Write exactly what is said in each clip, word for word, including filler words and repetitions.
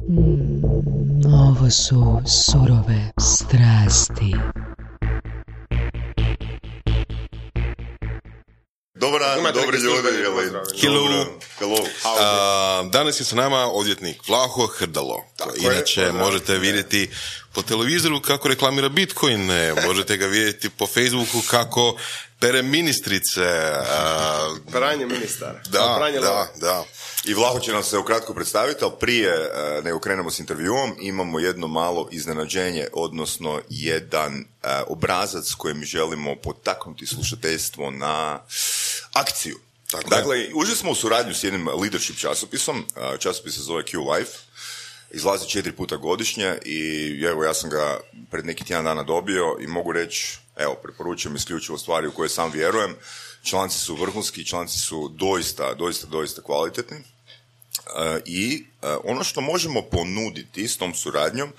Mm, ovo su surove strasti. Dobar dan, dobri ljudi. Hello. Hello. Uh, danas je sa nama odvjetnik Vlaho Hrdalo. Inače je, možete je. vidjeti po televizoru kako reklamira Bitcoine, možete ga vidjeti po Facebooku kako pere ministrice. Uh, Pranje ministara. Da, Pranje da, lova. da. I Vlaho će nam se ukratko predstaviti, ali prije uh, nego krenemo s intervjuom, imamo jedno malo iznenađenje, odnosno jedan uh, obrazac kojim želimo potaknuti slušateljstvo na akciju. Tako dakle, ušli smo u suradnju s jednim leadership časopisom, uh, časopis se zove Q Life, izlazi četiri puta godišnje i evo ja sam ga pred neki tjedan dana dobio i mogu reći, evo, preporučujem isključivo stvari u koje sam vjerujem. Članci su vrhunski, članci su doista, doista, doista kvalitetni. Uh, I uh, ono što možemo ponuditi s tom suradnjom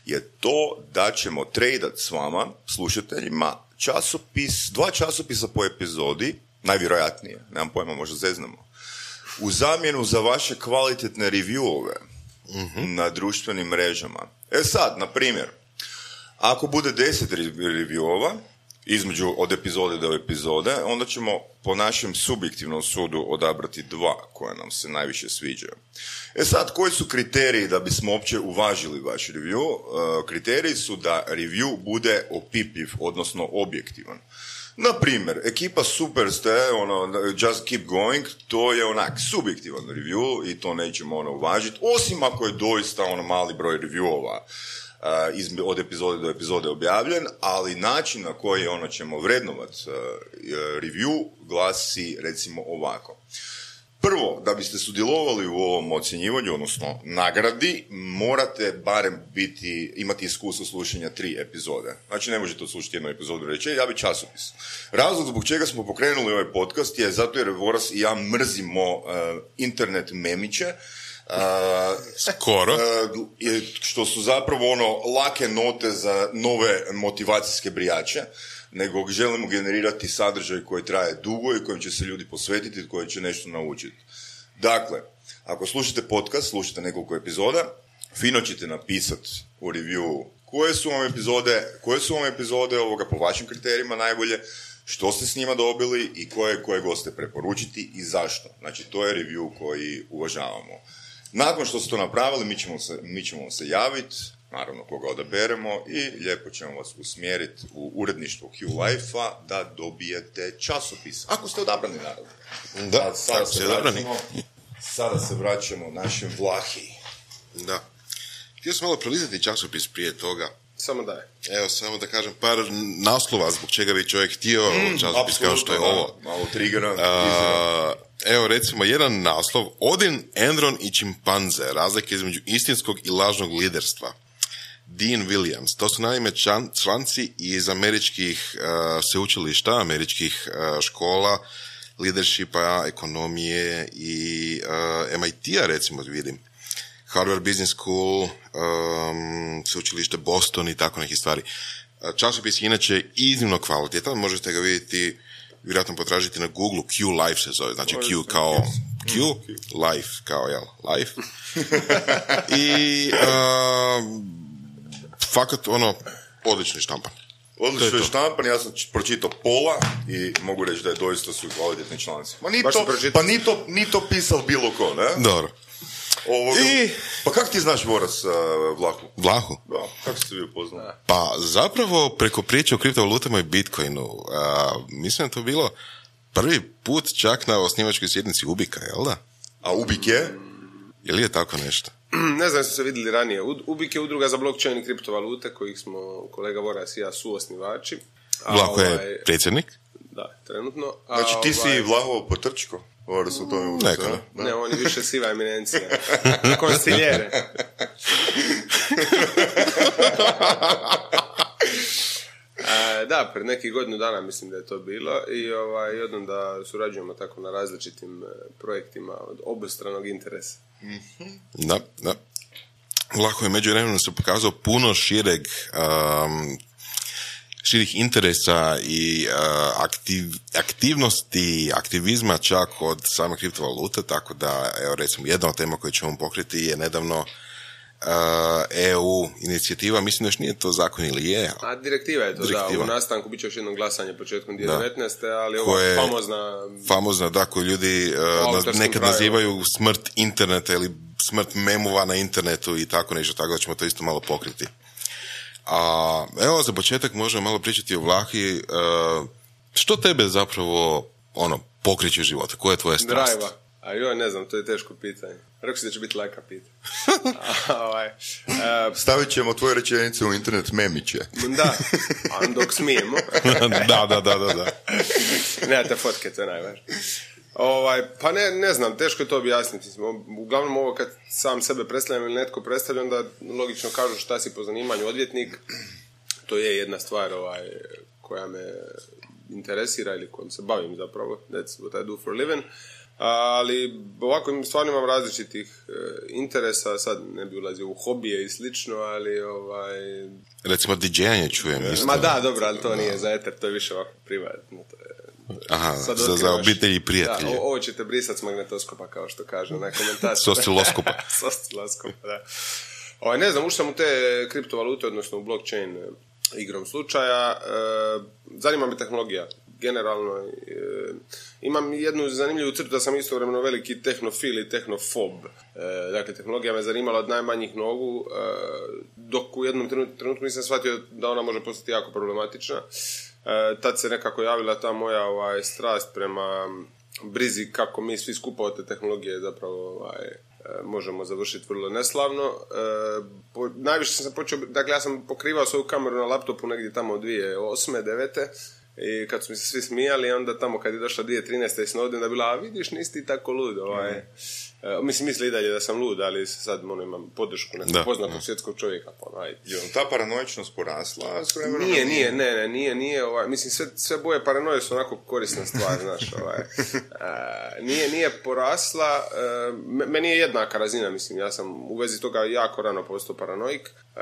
je to da ćemo tradat s vama, slušateljima, časopis, dva časopisa po epizodi, najvjerojatnije, nemam pojma, možda zeznamo, u zamjenu za vaše kvalitetne reviewove mm-hmm. na društvenim mrežama. E sad, na primjer, ako bude deset reviewova, između od epizode do epizode, onda ćemo po našem subjektivnom sudu odabrati dva koja nam se najviše sviđaju. E sad, koji su kriteriji da bismo uopće uvažili vaš review? Uh, kriteriji su da review bude opipljiv, odnosno objektivan. Na primjer, ekipa super ste, ono, just keep going, to je onak subjektivan review i to nećemo ono uvažiti, osim ako je doista ono mali broj reviewova Uh, iz, od epizode do epizode objavljen, ali način na koji ono ćemo vrednovat uh, review glasi recimo ovako. Prvo, da biste sudjelovali u ovom ocjenjivanju, odnosno nagradi, morate barem biti, imati iskustvo slušanja tri epizode. Znači ne možete odslušati jednu epizodu i reći, ja bi časopis. Razlog zbog čega smo pokrenuli ovaj podcast je zato jer Voras i ja mrzimo uh, internet memiće, Uh, Skoro. Uh, što su zapravo ono lake note za nove motivacijske brijače, nego želimo generirati sadržaj koji traje dugo i kojim će se ljudi posvetiti i koji će nešto naučiti. Dakle, ako slušate podcast, slušate nekoliko epizoda, fino ćete napisati u review koje su vam epizode, koje su vam epizode ovoga po vašim kriterijima najbolje, što ste s njima dobili i koje, koje goste preporučiti i zašto. Znači, to je review koji uvažavamo. Nakon što ste to napravili, mi ćemo se, mi ćemo se javiti, naravno koga odaberemo, i lijepo ćemo vas usmjeriti u uredništvo Q Life-a da dobijete časopis. Ako ste odabrani, naravno. Da, sada se, odabrani. sada se vraćamo našem Vlahi. Da. Htio sam malo prelizati časopis prije toga. Samo daj. Evo, samo da kažem par naslova zbog čega bi čovjek htio mm, časopis kao što je ovo. Malo triggera. Uh, evo, recimo, jedan naslov. Odin, Enron i čimpanze. Razlike između istinskog i lažnog liderstva. Dean Williams. To su naime član, članci iz američkih uh, sveučilišta, američkih uh, škola, leadershipa, ekonomije i uh, M I T-a, recimo, vidim. Harvard Business School, um, sveučilište Boston i tako nekih stvari. Časopis je inače iznimno kvalitetan, možete ga vidjeti, vjerojatno potražiti na Google, Q Life se zove, znači Q kao Q, Life kao, jel, Life. I uh, fakat, ono, odlični štampan. Odlično je štampan, ja sam pročitao pola i mogu reći da je doista su kvalitetni članci. Ma ni to, pa ni to, ni to pisal bilo ko, ne? Dobro. Ovoga. I... Pa kako ti znaš Voras uh, Vlahu? Vlahu? Da, kako ste vi upoznali? Pa zapravo preko priče o kriptovalutama i Bitcoinu. Uh, mislim da to bilo prvi put čak na osnivačkoj sjednici Ubika, jel da? A Ubik je? Je li je tako nešto? Ne znam, smo se vidjeli ranije. Ubik je udruga za blockchain i kriptovalute kojih smo kolega Voras i ja suosnivači. Vlahu je ovaj... predsjednik? Da, trenutno. A znači ti ovaj... si Vlahovo potrčko? Voras u tome uvica, ne? Ne, on je više siva eminencija. Konstiljere. E, da, pred nekih godinu dana mislim da je to bilo i ovaj, jednom da surađujemo tako na različitim projektima od obostranog interesa. Mm-hmm. Da, da. Vlahu je međuvremenu se pokazao puno šireg um, širih interesa i uh, aktiv, aktivnosti, aktivizma čak od same kriptovalute, tako da, evo recimo, jedna od tema koju ćemo pokriti je nedavno E U inicijativa, mislim da još nije to zakon ili je. A direktiva je to, direktiva. Da, u nastanku bit će još jedno glasanje početkom dvije tisuće devetnaeste. ali ova Koje, famozna... Famozna, da, koju ljudi uh, nekad pravi. nazivaju smrt interneta ili smrt memova na internetu i tako nešto, tako da ćemo to isto malo pokriti. A evo, za početak možemo malo pričati o Vlahi. Uh, što tebe zapravo, ono, pokreće život? Koja je tvoja strast? Drajva. A joj, ne znam, to je teško pitanje. Rekao si da će biti laka pitanje. ovaj, uh, Stavit ćemo tvoje rečenice u internet memiće. Da, a dok smijemo. da, da, da, da. da. Nemate fotke, to je najvažnije. Ovaj, pa ne, ne znam, teško je to objasniti. Uglavnom ovo kad sam sebe predstavljam ili netko predstavlja, onda logično kažu šta si po zanimanju odvjetnik. To je jedna stvar ovaj, koja me interesira ili kojom se bavim zapravo. That's what I do for a living. Ali ovako stvarno imam različitih e, interesa, sad ne bi ulazio u hobije i slično, ali ovaj... Recimo didžejanje čujem isto. Ma da, dobro, ali to nije za eter, to je više ovako privatno. To je, Aha, za, za obitelji i prijatelje. Da, ovo ćete brisati s magnetoskopa, kao što kaže na komentaciju. S osciloskopa. S osciloskopa, da. Ovaj, ne znam, ušao sam u te kriptovalute, odnosno u blockchain igrom slučaja. E, zanima me tehnologija. Generalno, e, imam jednu zanimljivu crtu da sam istovremeno veliki tehnofil i tehnofob. E, dakle, tehnologija me zanimala od najmanjih nogu, e, dok u jednom trenutku nisam shvatio da ona može postati jako problematična. E, tad se nekako javila ta moja ovaj, strast prema brizi kako mi svi skupa od te tehnologije zapravo ovaj, možemo završiti vrlo neslavno. E, po, najviše sam počeo, dakle ja sam pokrivao svoju kameru na laptopu negdje tamo od dvije tisuće osme devete i kad su mi se svi smijali, onda tamo kad je došla dvije tisuće trinaeste i Snowden da bila, a vidiš, nisi ti tako lud. Ovaj. E, mislim, misli i dalje da sam lud, ali sad ono, imam podršku nekog poznatog svjetskog čovjeka. Pa, onaj. Je ta paranoičnost porasla? Nije, nije, ne, ne, nije, nije, ovaj, mislim, sve, sve boje paranoje su onako korisna stvar, znaš, ovaj. E, nije, nije porasla, e, meni je jednaka razina, mislim, ja sam u vezi toga jako rano postao paranoik. E,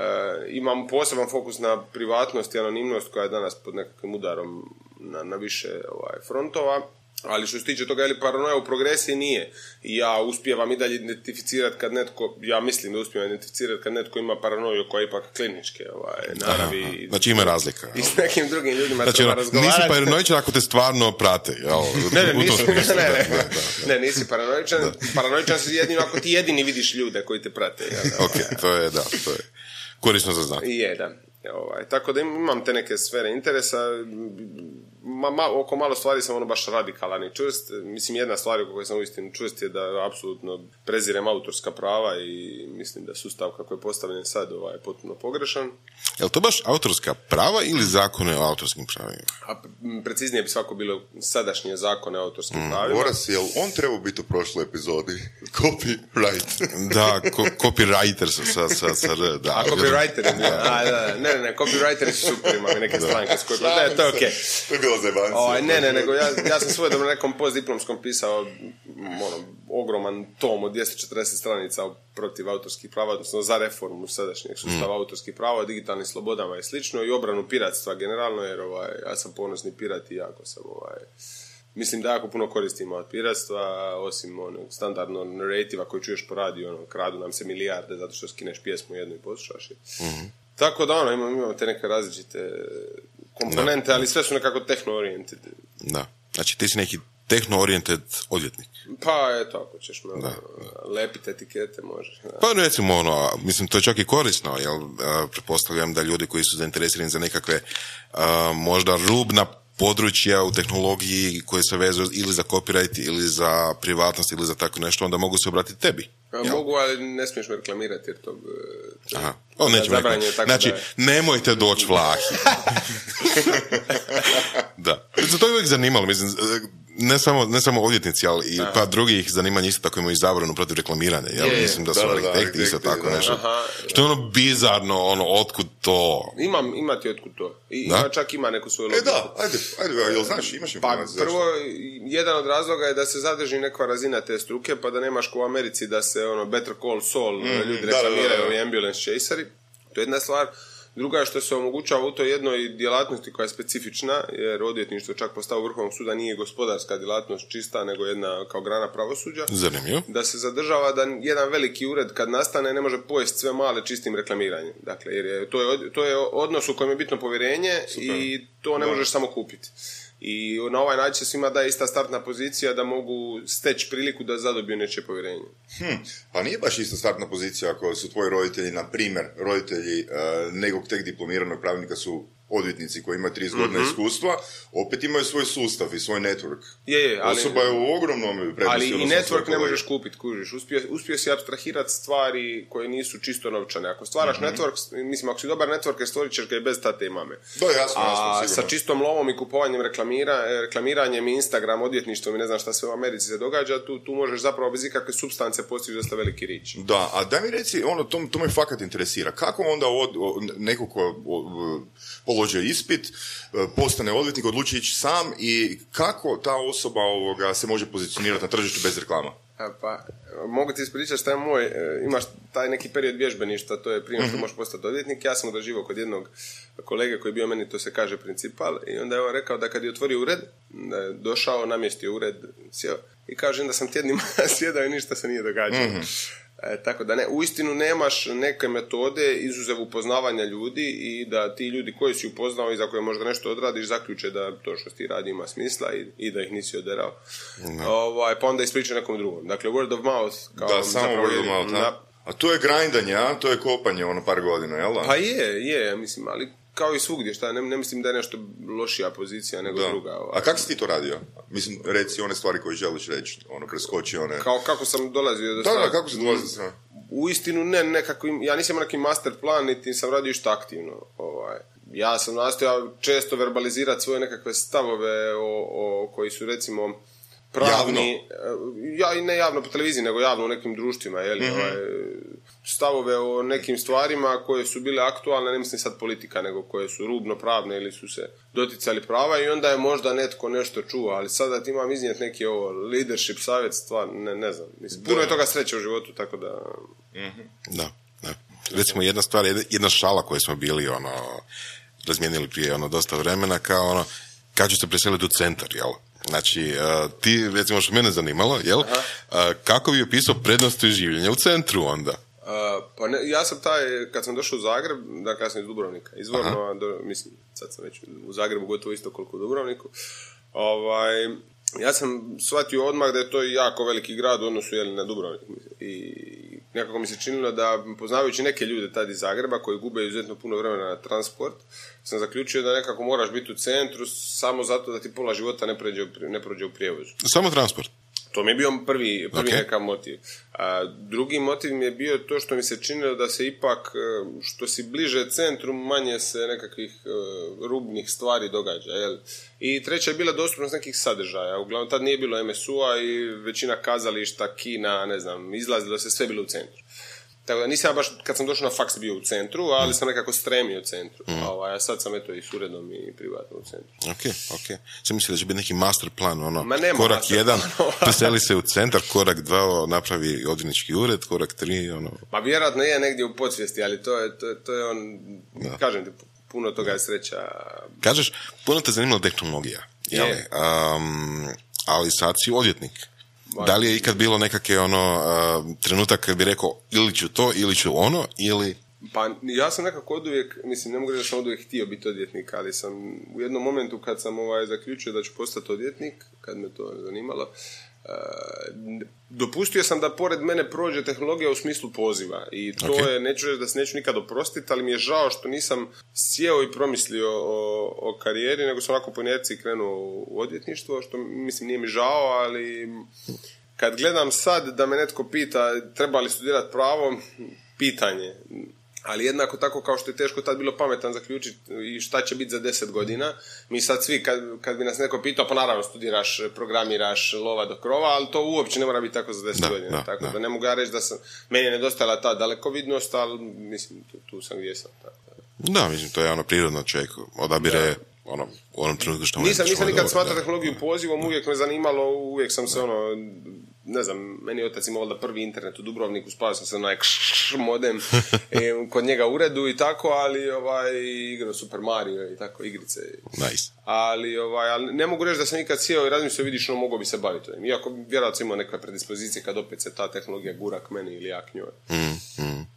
imam poseban fokus na privatnost i anonimnost koja je danas pod nekakvim udarom na, na više ovaj, frontova. Ali što se tiče toga, je li paranoja u progresiji, nije. I ja uspijevam i dalje identificirati kad netko, ja mislim da uspijevam identificirati kad netko ima paranoju koja je ipak kliničke ovaj, naravi. Aha, znači ima razlika. I s nekim drugim ljudima znači, treba ono, razgovarati. Nisi paranoičan ako te stvarno prate. Jel? Ne, ne, nisi, ne, ne, ne, ne, ne, nisi paranoičan. Da. Paranoičan si jedino ako ti jedini vidiš ljude koji te prate. Jel? Ok, to je, da, to je korisno za znati. Je, da. Ovaj, tako da imam te neke sfere interesa, ma, ma, oko malo stvari sam ono baš radikalan i čvrst. Mislim, jedna stvar oko koje sam uistinu čvrst je da apsolutno prezirem autorska prava i mislim da sustav kako je postavljen sad ovaj, potpuno pogrešan. Je li to baš autorska prava ili zakone o autorskim pravima? A preciznije bi svako bilo sadašnje zakone o autorskim mm. pravima. Boras, jel on trebao biti u prošloj epizodi? Copyright. Da, ko, copywriter sa, sa, sa R. Da, a copywriter je bio. A, da, ne, ne, ne, copywriteri su super, imam i neke stranke s koje... Ne, to je okej. To je bilo zajebancija. O, ne, ne, nego ja, ja sam svoje dobro nekom postdiplomskom pisao ono, ogroman tom od dvjesto četrdeset stranica protiv autorskih prava, odnosno za reformu sadašnjeg sustava mm. autorskih prava, digitalnim slobodama i slično i obranu piratstva generalno, jer ovaj, ja sam ponosni pirat i jako sam ovaj, mislim da jako puno koristimo od piratstva, osim onog standardnog narrativa koji čuješ po radiju, ono, kradu nam se milijarde zato što skineš pjesmu jednu i poslušaš je. Mm. Tako da ono, imamo, imamo te neke različite komponente, da. Ali sve su nekako tehno-oriented. Da, znači ti si neki tehno-oriented odvjetnik. Pa eto, ako ćeš me da. lepiti etikete, možeš. Da. Pa recimo ono, mislim, to je čak i korisno, jer uh, pretpostavljam da ljudi koji su zainteresirani za nekakve uh, možda rubna područja u tehnologiji koje se vezuju ili za copyright ili za privatnost ili za tako nešto, onda mogu se obratiti tebi. Ja, mogu, ali ne smiješ me reklamirati jer to... to Aha, o, nećemo reklamirati. Znači, da... nemojte doći Vlahi. Da. To je uvijek zanimalo, mislim, ne samo, ne samo odvjetnici, ali i pa drugih zanimanja isto tako imaju zabranu protiv reklamiranja, jel? Je, mislim da su da, arhitekti da, isto tako da. Nešto. Aha, što je ono bizarno, ono, otkud to? Imam, imati otkud to. I da? Čak ima neku svoju logiku. E da, ajde, ajde, jel znaš, imaš informaciju? Pa prvo, jedan od razloga je da se zadrži neka razina te struke, pa da nemaš ko u Americi da se ono Better Call Saul, mm, ljudi reklamiraju, ovi ambulance chaseri. To je jedna stvar. Druga je što se omogućava u toj jednoj djelatnosti koja je specifična, jer odvjetništvo čak po stavu Vrhovnog suda nije gospodarska djelatnost čista, nego jedna kao grana pravosuđa. Zanimljivo. Da se zadržava da jedan veliki ured kad nastane ne može pojesti sve male čistim reklamiranjem. Dakle, jer je, to, je, to je odnos u kojem je bitno povjerenje. Super. I to ne možeš samo kupiti. I na ovaj način se svima daje ista startna pozicija da mogu steći priliku da zadobiju nečije povjerenje. Hm, pa nije baš ista startna pozicija ako su tvoji roditelji, na primjer, roditelji uh, nekog tek diplomiranog pravnika su odvjetnici koji imaju trideset godina mm-hmm. iskustva, opet imaju svoj sustav i svoj network. Je, je, ali, osoba je u ogromnom prednosti. Ali i network ne možeš kupiti, kužiš. Uspio, uspio si apstrahirati stvari koje nisu čisto novčane. Ako stvaraš mm-hmm. network, mislim, ako si dobar network, stvorit ćeš ga i bez tate i mame. Da, jasno, jasno, A sigurno. sa čistom lovom i kupovanjem reklamira, reklamiranjem Instagram, odvjetništvom i ne znam šta sve u Americi se događa, tu, tu možeš zapravo bez ikakve supstance postići dosta veliki rič. Da, a daj mi reci, ono, to, to me fakat interesira. Kako onda od, od, neko ko položio ispit, postane odvjetnik, odluči ići sam i kako ta osoba ovoga se može pozicionirati na tržištu bez reklama? A pa, mogu ti ispričati šta je moj, imaš taj neki period vježbeništva, to je prije što mm-hmm. možeš postati odvjetnik. Ja sam odraživao kod jednog kolege koji je bio meni, to se kaže, principal, i onda je on rekao da kad je otvorio ured, da je došao, namjestio ured, sjeo, i kaže da sam tjednima sjedao i ništa se nije događalo. Mm-hmm. E, tako da ne, uistinu nemaš neke metode izuzev upoznavanja ljudi i da ti ljudi koji si upoznao i za koje možda nešto odradiš zaključe da to što ti radi ima smisla i, i da ih nisi oderao. No. Ovaj, pa onda ispriča nekom drugom. Dakle, word of mouth. Kao da, samo word of mouth. Na... A to je grindanje, a? To je kopanje ono par godina, jel da? Pa je, je, mislim, ali kao i svugdje, šta, ne, ne mislim da je nešto lošija pozicija nego da. druga. Ovaj. A kako si ti to radio? Mislim, reci one stvari koje želiš reći, ono, preskoči one... Kao, kako sam dolazio do Da, da, kako si dolazio do strane? U istinu, ne, nekako, ja nisam neki master plan, niti sam radio išta aktivno. Ovaj. Ja sam nastojao često verbalizirati svoje nekakve stavove o, o koji su, recimo, pravni... Javno? Ja, i ne javno po televiziji, nego javno u nekim društvima, jel? Mm-hmm. Ovaj, stavove o nekim stvarima koje su bile aktualne, ne mislim sad politika, nego koje su rubno pravne ili su se doticali prava i onda je možda netko nešto čuo, ali sada ti imam iznijeti neki ovo leadership savjet, stvar, ne, ne znam. Mislim, puno je toga sreće u životu, tako da... Mm-hmm. Da, da. Recimo jedna stvar, jedna šala koju smo bili ono, razmijenili prije ono, dosta vremena, kao ono, kad ću se preseliti u centar, jel? Znači, uh, ti, recimo, što mene zanimalo, jel? Uh, kako bi opisao prednosti življenja u centru onda? Uh, pa ne, ja sam taj, kad sam došao u Zagreb, dakle ja sam iz Dubrovnika, izvorno, do, mislim, sad sam već u Zagrebu gotovo isto koliko u Dubrovniku, ovaj, ja sam shvatio odmah da je to jako veliki grad u odnosu jeli, na Dubrovnik i nekako mi se činilo da, poznavajući neke ljude tad iz Zagreba koji gube izuzetno puno vremena na transport, sam zaključio da nekako moraš biti u centru samo zato da ti pola života ne prođe, ne prođe u prijevozu. Samo transport? To mi je bio prvi, prvi okay. nekav motiv. A drugi motiv mi je bio to što mi se činilo da se ipak, što si bliže centru, manje se nekakvih uh, rubnih stvari događa. Jel? I treća je bila dostupnost nekih sadržaja. Uglavnom, tad nije bilo em es u-a i većina kazališta, kina, ne znam, izlazilo se, sve bilo u centru. Tako da nisam baš, kad sam došao na faks, bio u centru, ali sam nekako stremio u centru. Mm. A sad sam eto i s uredom i privatno u centru. Ok, ok. Sam mislio da će biti neki master plan, ono, Ma nema korak master jedan, plan. preseli se u centar, korak dva, napravi odvjetnički ured, korak tri, ono... Ma vjerojatno je negdje u podsvijesti, ali to je, to je, to je on, da. Kažem ti, puno toga je sreća. Kažeš, puno te zanimala tehnologija, jeli? Um, ali sad si odvjetnik. Da li je ikad bilo nekakve ono, uh, trenutak kad bi rekao ili ću to, ili ću ono, ili... Pa ja sam nekako oduvijek, mislim, ne mogu reći da sam oduvijek htio biti odvjetnik, ali sam u jednom momentu kad sam ovaj, zaključio da ću postati odvjetnik, kad me to zanimalo, uh, dopustio sam da pored mene prođe tehnologija u smislu poziva i to okay. je, neću reći da se neću nikad oprostiti, ali mi je žao što nisam sjeo i promislio o, o karijeri, nego sam ovako po inerciji krenuo u odvjetništvo, što mislim nije mi žao, ali kad gledam sad da me netko pita treba li studirati pravo, pitanje. Ali jednako tako kao što je teško tad bilo pametan zaključiti i šta će biti za deset godina. Mi sad svi, kad, kad bi nas neko pitao, pa naravno studiraš, programiraš, lova do krova, ali to uopće ne mora biti tako za deset da, godina. Da, tako da. da ne mogu ja reći da sam, meni je nedostajala ta dalekovidnost, ali mislim, tu, tu sam gdje sam. Tako. Da, mislim, to je ono prirodno, čovjek odabire da. ono, u onom trenutku što... Nisam, nisam nikad smatrao tehnologiju pozivom, uvijek me zanimalo, uvijek sam se ono... ne znam, meni je otac imao da prvi internet u Dubrovniku, spavao sam se onaj kš modem e, kod njega u uredu i tako, ali ovaj, igrao Super Mario i tako igrice. Nice. Ali, ovaj, ali ne mogu reći da sam nikad sjeo i razmislio, vidiš, no mogao bi se baviti. Iako vjerojatno imao neke predispozicije kad opet se ta tehnologija gura k meni ili ja k njoj. Mm, mm.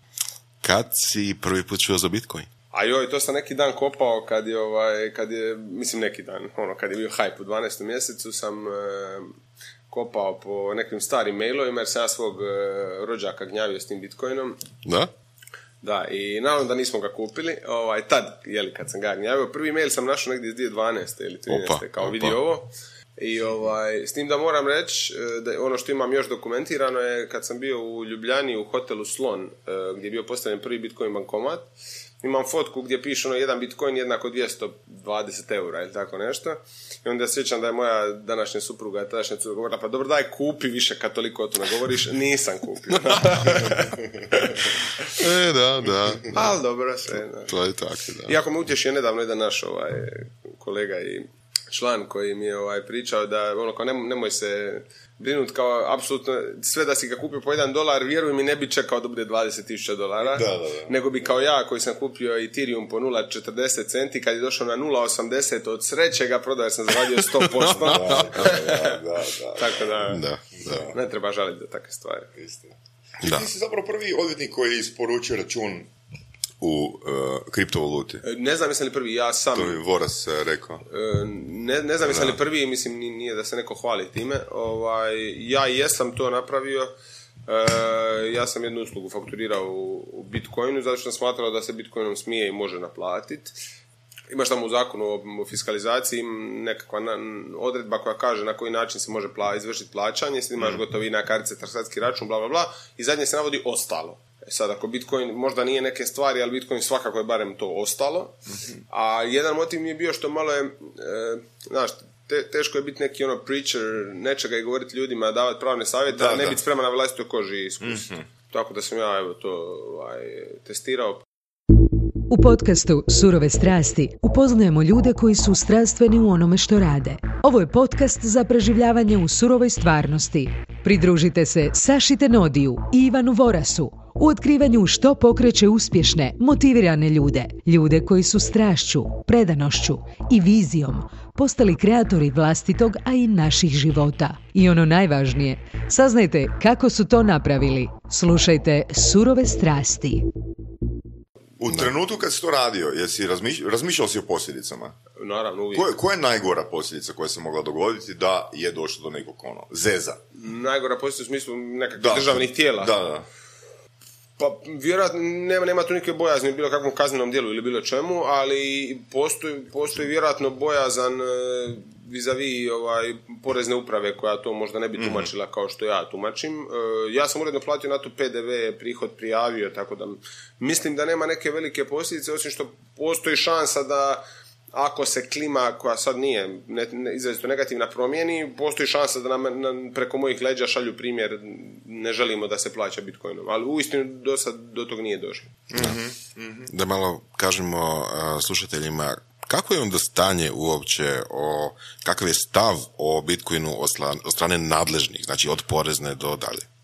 Kad si prvi put čuo za Bitcoin? A joj, to sam neki dan kopao kad je, ovaj, kad je, mislim neki dan, ono, kad je bio hype u dvanaestom mjesecu, sam e, kopao po nekim starim mailovima jer sam ja svog e, rođaka gnjavio s tim Bitcoinom. Da? Da, i naravno da nismo ga kupili, ovaj, tad, jeli, kad sam ga gnjavio, prvi mail sam našao negdje iz dvije tisuće dvanaeste ili trinaeste Opa, kao opa. vidi ovo. I ovaj, s tim da moram reći, da ono što imam još dokumentirano je kad sam bio u Ljubljani u hotelu Slon, gdje je bio postavljen prvi Bitcoin bankomat. Imam fotku gdje piše ono jedan Bitcoin jednako dvjesto dvadeset eura ili tako nešto. I onda sjećam da je moja današnja supruga, tadašnja supruga govorila, pa dobro daj kupi više kad toliko o tome govoriš. Nisam kupio. e, da, da. da. Ali dobro, sve. Da. To je tako, da. Iako me utješio nedavno jedan naš ovaj, kolega i član koji mi je ovaj, pričao da ono kao nemoj, nemoj se brinuti kao apsolutno sve da si ga kupio po jedan dolar, vjeruj mi ne bi čekao da bude dvadeset tisuća dolara, Da, da, da. nego bi kao ja koji sam kupio Ethereum po nula zarez četrdeset centi kad je došao na nula zarez osamdeset od sreće ga prodao jer sam zaradio sto posto. Da, da, da, da. Tako da, Da, da. ne treba žaliti za takve stvari. Istina. Da. Ti si zapravo prvi odvjetnik koji je isporučio račun u uh, kriptovaluti. E, Ne znam jesam li prvi, ja sam... To je Voras uh, rekao. E, Ne, ne znam jesam li prvi, mislim ni- nije da se neko hvali time. Ovaj, ja jesam to napravio. E, ja sam jednu uslugu fakturirao u, u Bitcoinu zato što sam smatrao da se Bitcoinom smije i može naplatiti. Imaš tamo u zakonu o, o fiskalizaciji nekakva na, odredba koja kaže na koji način se može pla, izvršiti plaćanje, sad imaš gotovina, kartice, transakcijski račun, bla bla bla, i zadnje se navodi ostalo. E sad, ako Bitcoin možda nije neke stvari, ali Bitcoin svakako je barem to ostalo. A jedan motiv mi je bio što malo je, e, znaš, te, teško je biti neki ono preacher, nečega i govoriti ljudima, davati pravne savjete, Da, a ne da. biti spreman na vlastitoj koži iskustvo. Tako da sam ja evo, to ovaj, testirao. U podcastu Surove strasti upoznajemo ljude koji su strastveni u onome što rade. Ovo je podcast za preživljavanje u surovoj stvarnosti. Pridružite se Saši Tenodiju i Ivanu Vorasu u otkrivanju što pokreće uspješne, motivirane ljude. Ljude koji su strašću, predanošću i vizijom postali kreatori vlastitog, a i naših života. I ono najvažnije, saznajte kako su to napravili. Slušajte Surove strasti. U trenutku kad si to radio, jesi razmiš, razmišljao si o posljedicama? Naravno, uvijek. Koje, koja je najgora posljedica koja se mogla dogoditi da je došlo do nekog ono, zeza? Najgora posljedica u smislu nekakvih Da. državnih tijela. Da, da. Pa vjerojatno nema, nema tu neke bojazni u bilo kakvom kaznenom djelu ili bilo čemu, ali postoji, postoji vjerojatno bojazan e, vis-a-vis ovaj, porezne uprave koja to možda ne bi tumačila kao što ja tumačim. E, ja sam uredno platio na to P D V, prihod prijavio, tako da mislim da nema neke velike posljedice, osim što postoji šansa da ako se klima koja sad nije ne, ne, izrazito negativna promijeni, postoji šansa da nam, nam preko mojih leđa šalju primjer ne želimo da se plaća Bitcoinom, ali uistinu do sad do tog nije došlo. Da malo kažemo uh, slušateljima, kako je onda stanje uopće, o, kakav je stav o Bitcoinu od, sla- od strane nadležnih, znači od porezne do dalje?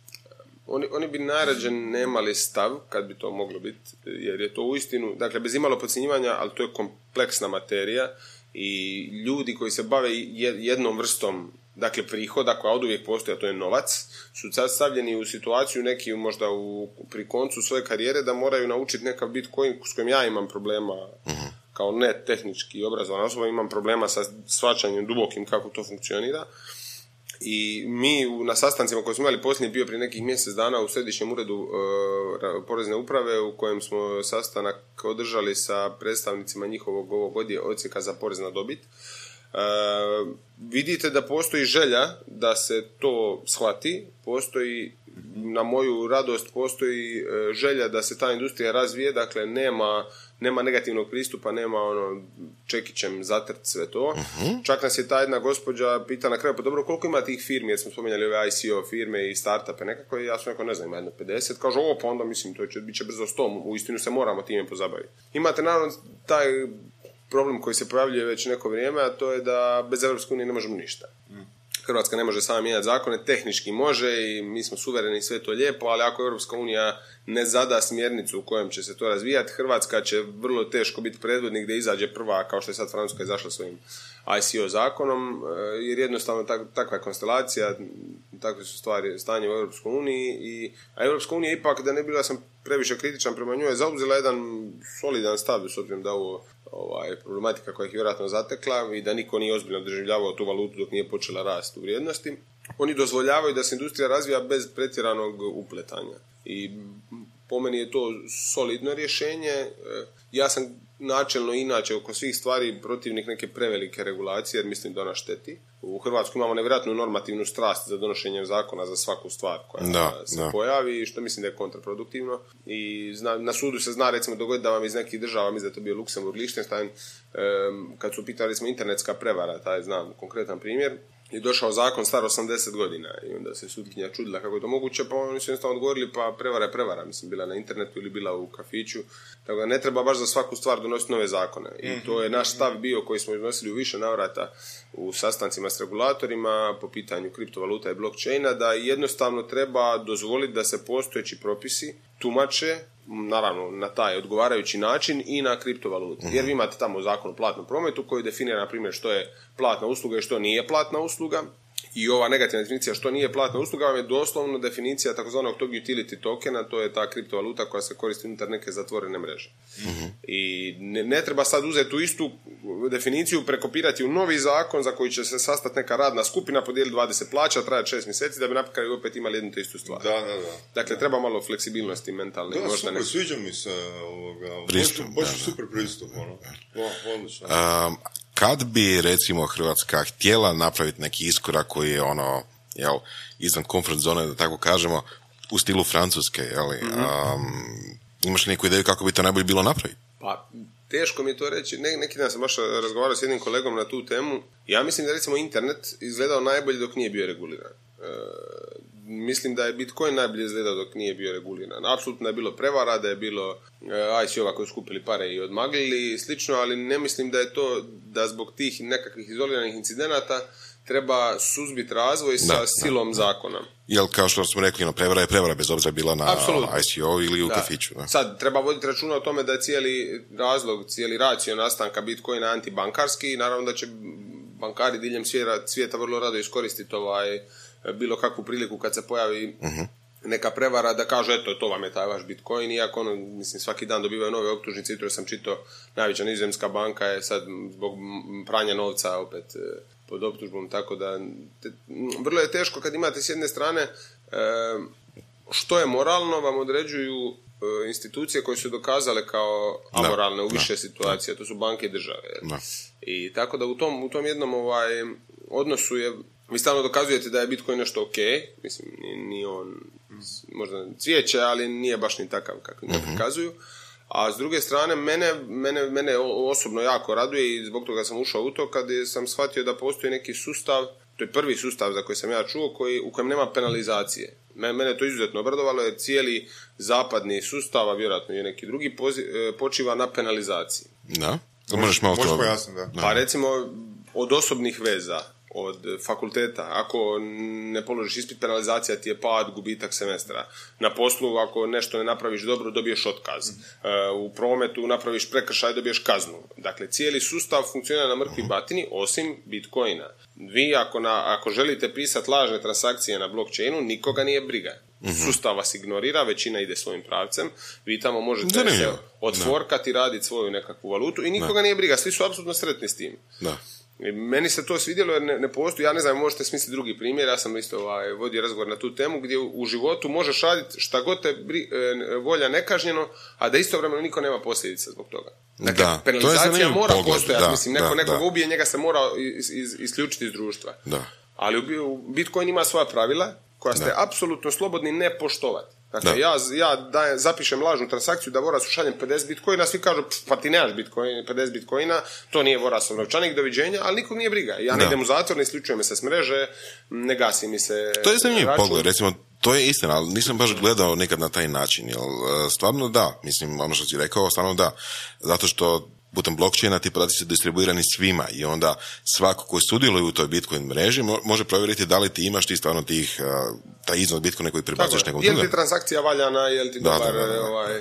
Oni, oni bi najrađe nemali stav, kad bi to moglo biti, jer je to uistinu, dakle, bez imalo podcjenjivanja, ali to je kompleksna materija i ljudi koji se bave je- jednom vrstom, dakle, prihoda koja oduvijek postoji, a to je novac, su sad stavljeni u situaciju neki možda u, pri koncu svoje karijere da moraju naučiti nekav Bitcoin s kojim ja imam problema, kao ne tehnički obrazovan osoba, imam problema sa shvaćanjem dubokim kako to funkcionira. I mi u- na sastancima koje smo imali posljednji bio prije nekih mjesec dana u središnjem uredu e, ra- porezne uprave u kojem smo sastanak održali sa predstavnicima njihovog ovog odje- odsjeka za porez na dobit. E, vidite da postoji želja da se to shvati, postoji na moju radost postoji e, želja da se ta industrija razvije, dakle nema, nema negativnog pristupa, nema ono čekićem zatrt sve to. Čak nas je ta jedna gospođa pita na kraju, pa dobro, koliko ima tih firmi, jer smo spomenjali ove I C O firme i startupe nekako, i ja sam rekao, ne znam, ima jedno pedeset, kaže, o, pa onda mislim, to će, bit će brzo sto, u istinu se moramo time pozabaviti. Imate naravno taj problem koji se pojavljuje već neko vrijeme, a to je da bez Europske unije ne možemo ništa. Hrvatska ne može sama mijenjati zakone, tehnički može i mi smo suvereni i sve to lijepo, ali ako Europska unija ne zada smjernicu u kojem će se to razvijati, Hrvatska će vrlo teško biti predvodnik gdje izađe prva, kao što je sad Francuska izašla svojim I C O zakonom, jer jednostavno tak, takva konstelacija, takve su stvari, stanje u Europskoj uniji, i, a Europska unija ipak, da ne bila sam previše kritičan prema njoj, je zauzela jedan solidan stav, s obzirom da ovo ovaj, problematika koja ih je vjerojatno zatekla i da niko nije ozbiljno doživljavao tu valutu dok nije počela rast u vrijednosti. Oni dozvoljavaju da se industrija razvija bez pretjeranog upletanja. I po meni je to solidno rješenje. Ja sam načelno inače oko svih stvari protivnik neke prevelike regulacije, jer mislim da ona šteti. U Hrvatskoj imamo nevjerojatnu normativnu strast za donošenje zakona za svaku stvar koja da, se da. pojavi, što mislim da je kontraproduktivno. I zna, na sudu se zna recimo dogoditi da vam iz nekih država, mislim da je to bio Luksemburg, Liechtenstein, um, kad su pitali recimo internetska prevara, taj znam konkretan primjer, je došao zakon star osamdeset godina i onda se sudkinja čudila kako je to moguće, pa oni su jednostavno odgovorili pa prevara je prevara, mislim bila na internetu ili bila u kafiću, tako da ne treba baš za svaku stvar donositi nove zakone. I to je naš stav bio koji smo iznosili u više navrata u sastancima s regulatorima po pitanju kriptovaluta i blockchaina, da jednostavno treba dozvoliti da se postojeći propisi tumače, naravno na taj odgovarajući način, i na kriptovalutu. Jer vi imate tamo zakon o platnom prometu koji definira, na primjer, što je platna usluga i što nije platna usluga. I ova negativna definicija što nije platna usluga vam je doslovno definicija takozvanog tog utility tokena, to je ta kriptovaluta koja se koristi unutar neke zatvorene mreže. Mm-hmm. I ne, ne treba sad uzeti tu istu definiciju, prekopirati u novi zakon za koji će se sastati neka radna skupina, podijeliti dvadeset plaća, traje šest mjeseci, da bi na kraju opet imali jednu te istu stvar. Da, da, da. Dakle, treba malo fleksibilnosti mentalne. Da, možda super, ne... sviđa mi se ovoga. Pristup, baš da, super pristup, ono. Odlično. Um, kad bi, recimo, Hrvatska htjela napraviti neki iskorak koji je ono, jel, izvan comfort zone, da tako kažemo, u stilu Francuske, jel, mm-hmm. um, imaš neku ideju kako bi to najbolje bilo napraviti? Pa, teško mi je to reći. Ne, neki dan sam baš razgovarao s jednim kolegom na tu temu. Ja mislim da, recimo, internet izgledao najbolje dok nije bio reguliran. E, mislim da je Bitcoin najbolje izgledao dok nije bio reguliran. Apsolutno je bilo prevara, da je bilo I C O-va koji su skupili pare i odmaglili i slično, ali ne mislim da je to, da zbog tih nekakvih izoliranih incidenata treba suzbiti razvoj sa da, silom da, zakona. Jel, kao što smo rekli, no, prevara je prevara, bez obzira bila na Apsolutno. I C O ili u da. kafiću. Da. Sad, treba voditi računa o tome da je cijeli razlog, cijeli racio nastanka Bitcoina antibankarski i naravno da će bankari diljem svijeta, svijeta vrlo rado iskoristiti ovaj, bilo kakvu priliku kad se pojavi uh-huh. neka prevara da kažu eto, to vam je taj vaš Bitcoin, iako ono, mislim, svaki dan dobivaju nove optužnice. Jutro sam čitao, najveća nizozemska banka je sad zbog pranja novca opet pod optužbom, tako da te, vrlo je teško kad imate s jedne strane e, što je moralno vam određuju e, institucije koje su dokazale kao amoralne da, u više da, situacija, da. To su banke i države. Da. I tako da u tom, u tom jednom ovaj, odnosu je, vi stalno dokazujete da je Bitcoin nešto ok, mislim, nije on možda cvijeće, ali nije baš ni takav kako ga prikazuju. A s druge strane, mene, mene, mene osobno jako raduje i zbog toga sam ušao u to kad sam shvatio da postoji neki sustav, to je prvi sustav za koji sam ja čuo, koji, u kojem nema penalizacije. Mene to izuzetno obradovalo jer cijeli zapadni sustav, a vjerojatno i neki drugi, pozi, počiva na penalizaciji. Da, to možeš malo to pojasniti, da. Pa recimo od osobnih veza, od fakulteta, ako ne položiš ispit, penalizacija ti je pad, gubitak semestra. Na poslu, ako nešto ne napraviš dobro, dobiješ otkaz. U prometu napraviš prekršaj, dobiješ kaznu. Dakle, cijeli sustav funkcionira na mrtvi batini, osim Bitcoina. Vi, ako, na, ako želite pisati lažne transakcije na blockchainu, nikoga nije briga. Sustav vas ignorira, većina ide svojim pravcem, vi tamo možete se odforkati, raditi svoju nekakvu valutu i nikoga da. Nije briga, svi su apsolutno sretni s tim. Da. I meni se to svidjelo jer ne, ne postoji, ja ne znam, možete smisliti drugi primjer, ja sam isto ovaj, vodio razgovor na tu temu gdje u, u životu možeš raditi šta god te bri, e, volja nekažnjeno, a da istovremeno niko nema posljedica zbog toga. Dakle, da, penalizacija mora pogled, postojati, da, mislim, neko da, nekoga da. Ubije, njega se mora iz, iz, isključiti iz društva. Da. Ali u, u Bitcoin ima svoja pravila koja ste da. Apsolutno slobodni ne poštovati. Dakle, da. ja, ja dajem, zapišem lažnu transakciju da Vorasu šaljem pedeset bitcoina, svi kažu, pa ti nemaš bitcoin, pedeset bitcoina, to nije Vorasov novčanik, doviđenja, ali nikog nije briga. Ja ne da. Idem u zatvor, ne isključujem me se s mreže, ne gasi mi se to je zanimljiv pogled, recimo, to je istina, ali nisam baš gledao nekad na taj način, jer stvarno da, mislim, ono što si rekao, stvarno da, zato što putem blockchaina ti podaci su distribuirani svima i onda svako koji sudjeluje u toj Bitcoin mreži može provjeriti da li ti imaš ti stvarno tih, uh, taj iznos Bitcoina koji prebacuješ nekom drugom. Je li ti transakcija valjana, je li ti da, dobar da, da, da. ovaj,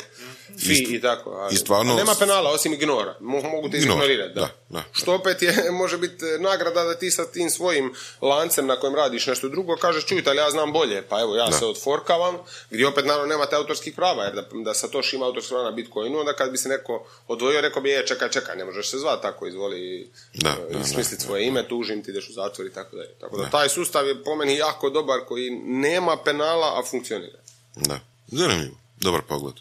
fi i tako. Ali, i stvarno, nema penala osim ignora. Mogu, mogu te ignorirati. Da. Da, da, što opet je, može biti nagrada da ti sa tim svojim lancem na kojem radiš nešto drugo kažeš čujte, ali ja znam bolje. Pa evo, ja da. se odforkavam, gdje opet naravno nemate autorskih prava, jer da, da Satoshi ima autorskih prava na Bitcoinu, onda kad bi se neko odvojio, rekao bi, je, čekaj, čekaj, ne možeš se zvati tako, izvoli da, uh, smisliti svoje ime, tužim ti, ideš u zatvor i tako dalje. Tako da, da taj sustav je po meni jako dobar koji nema penala, a funkcionira. Da, zanimljivo, dobar pogled.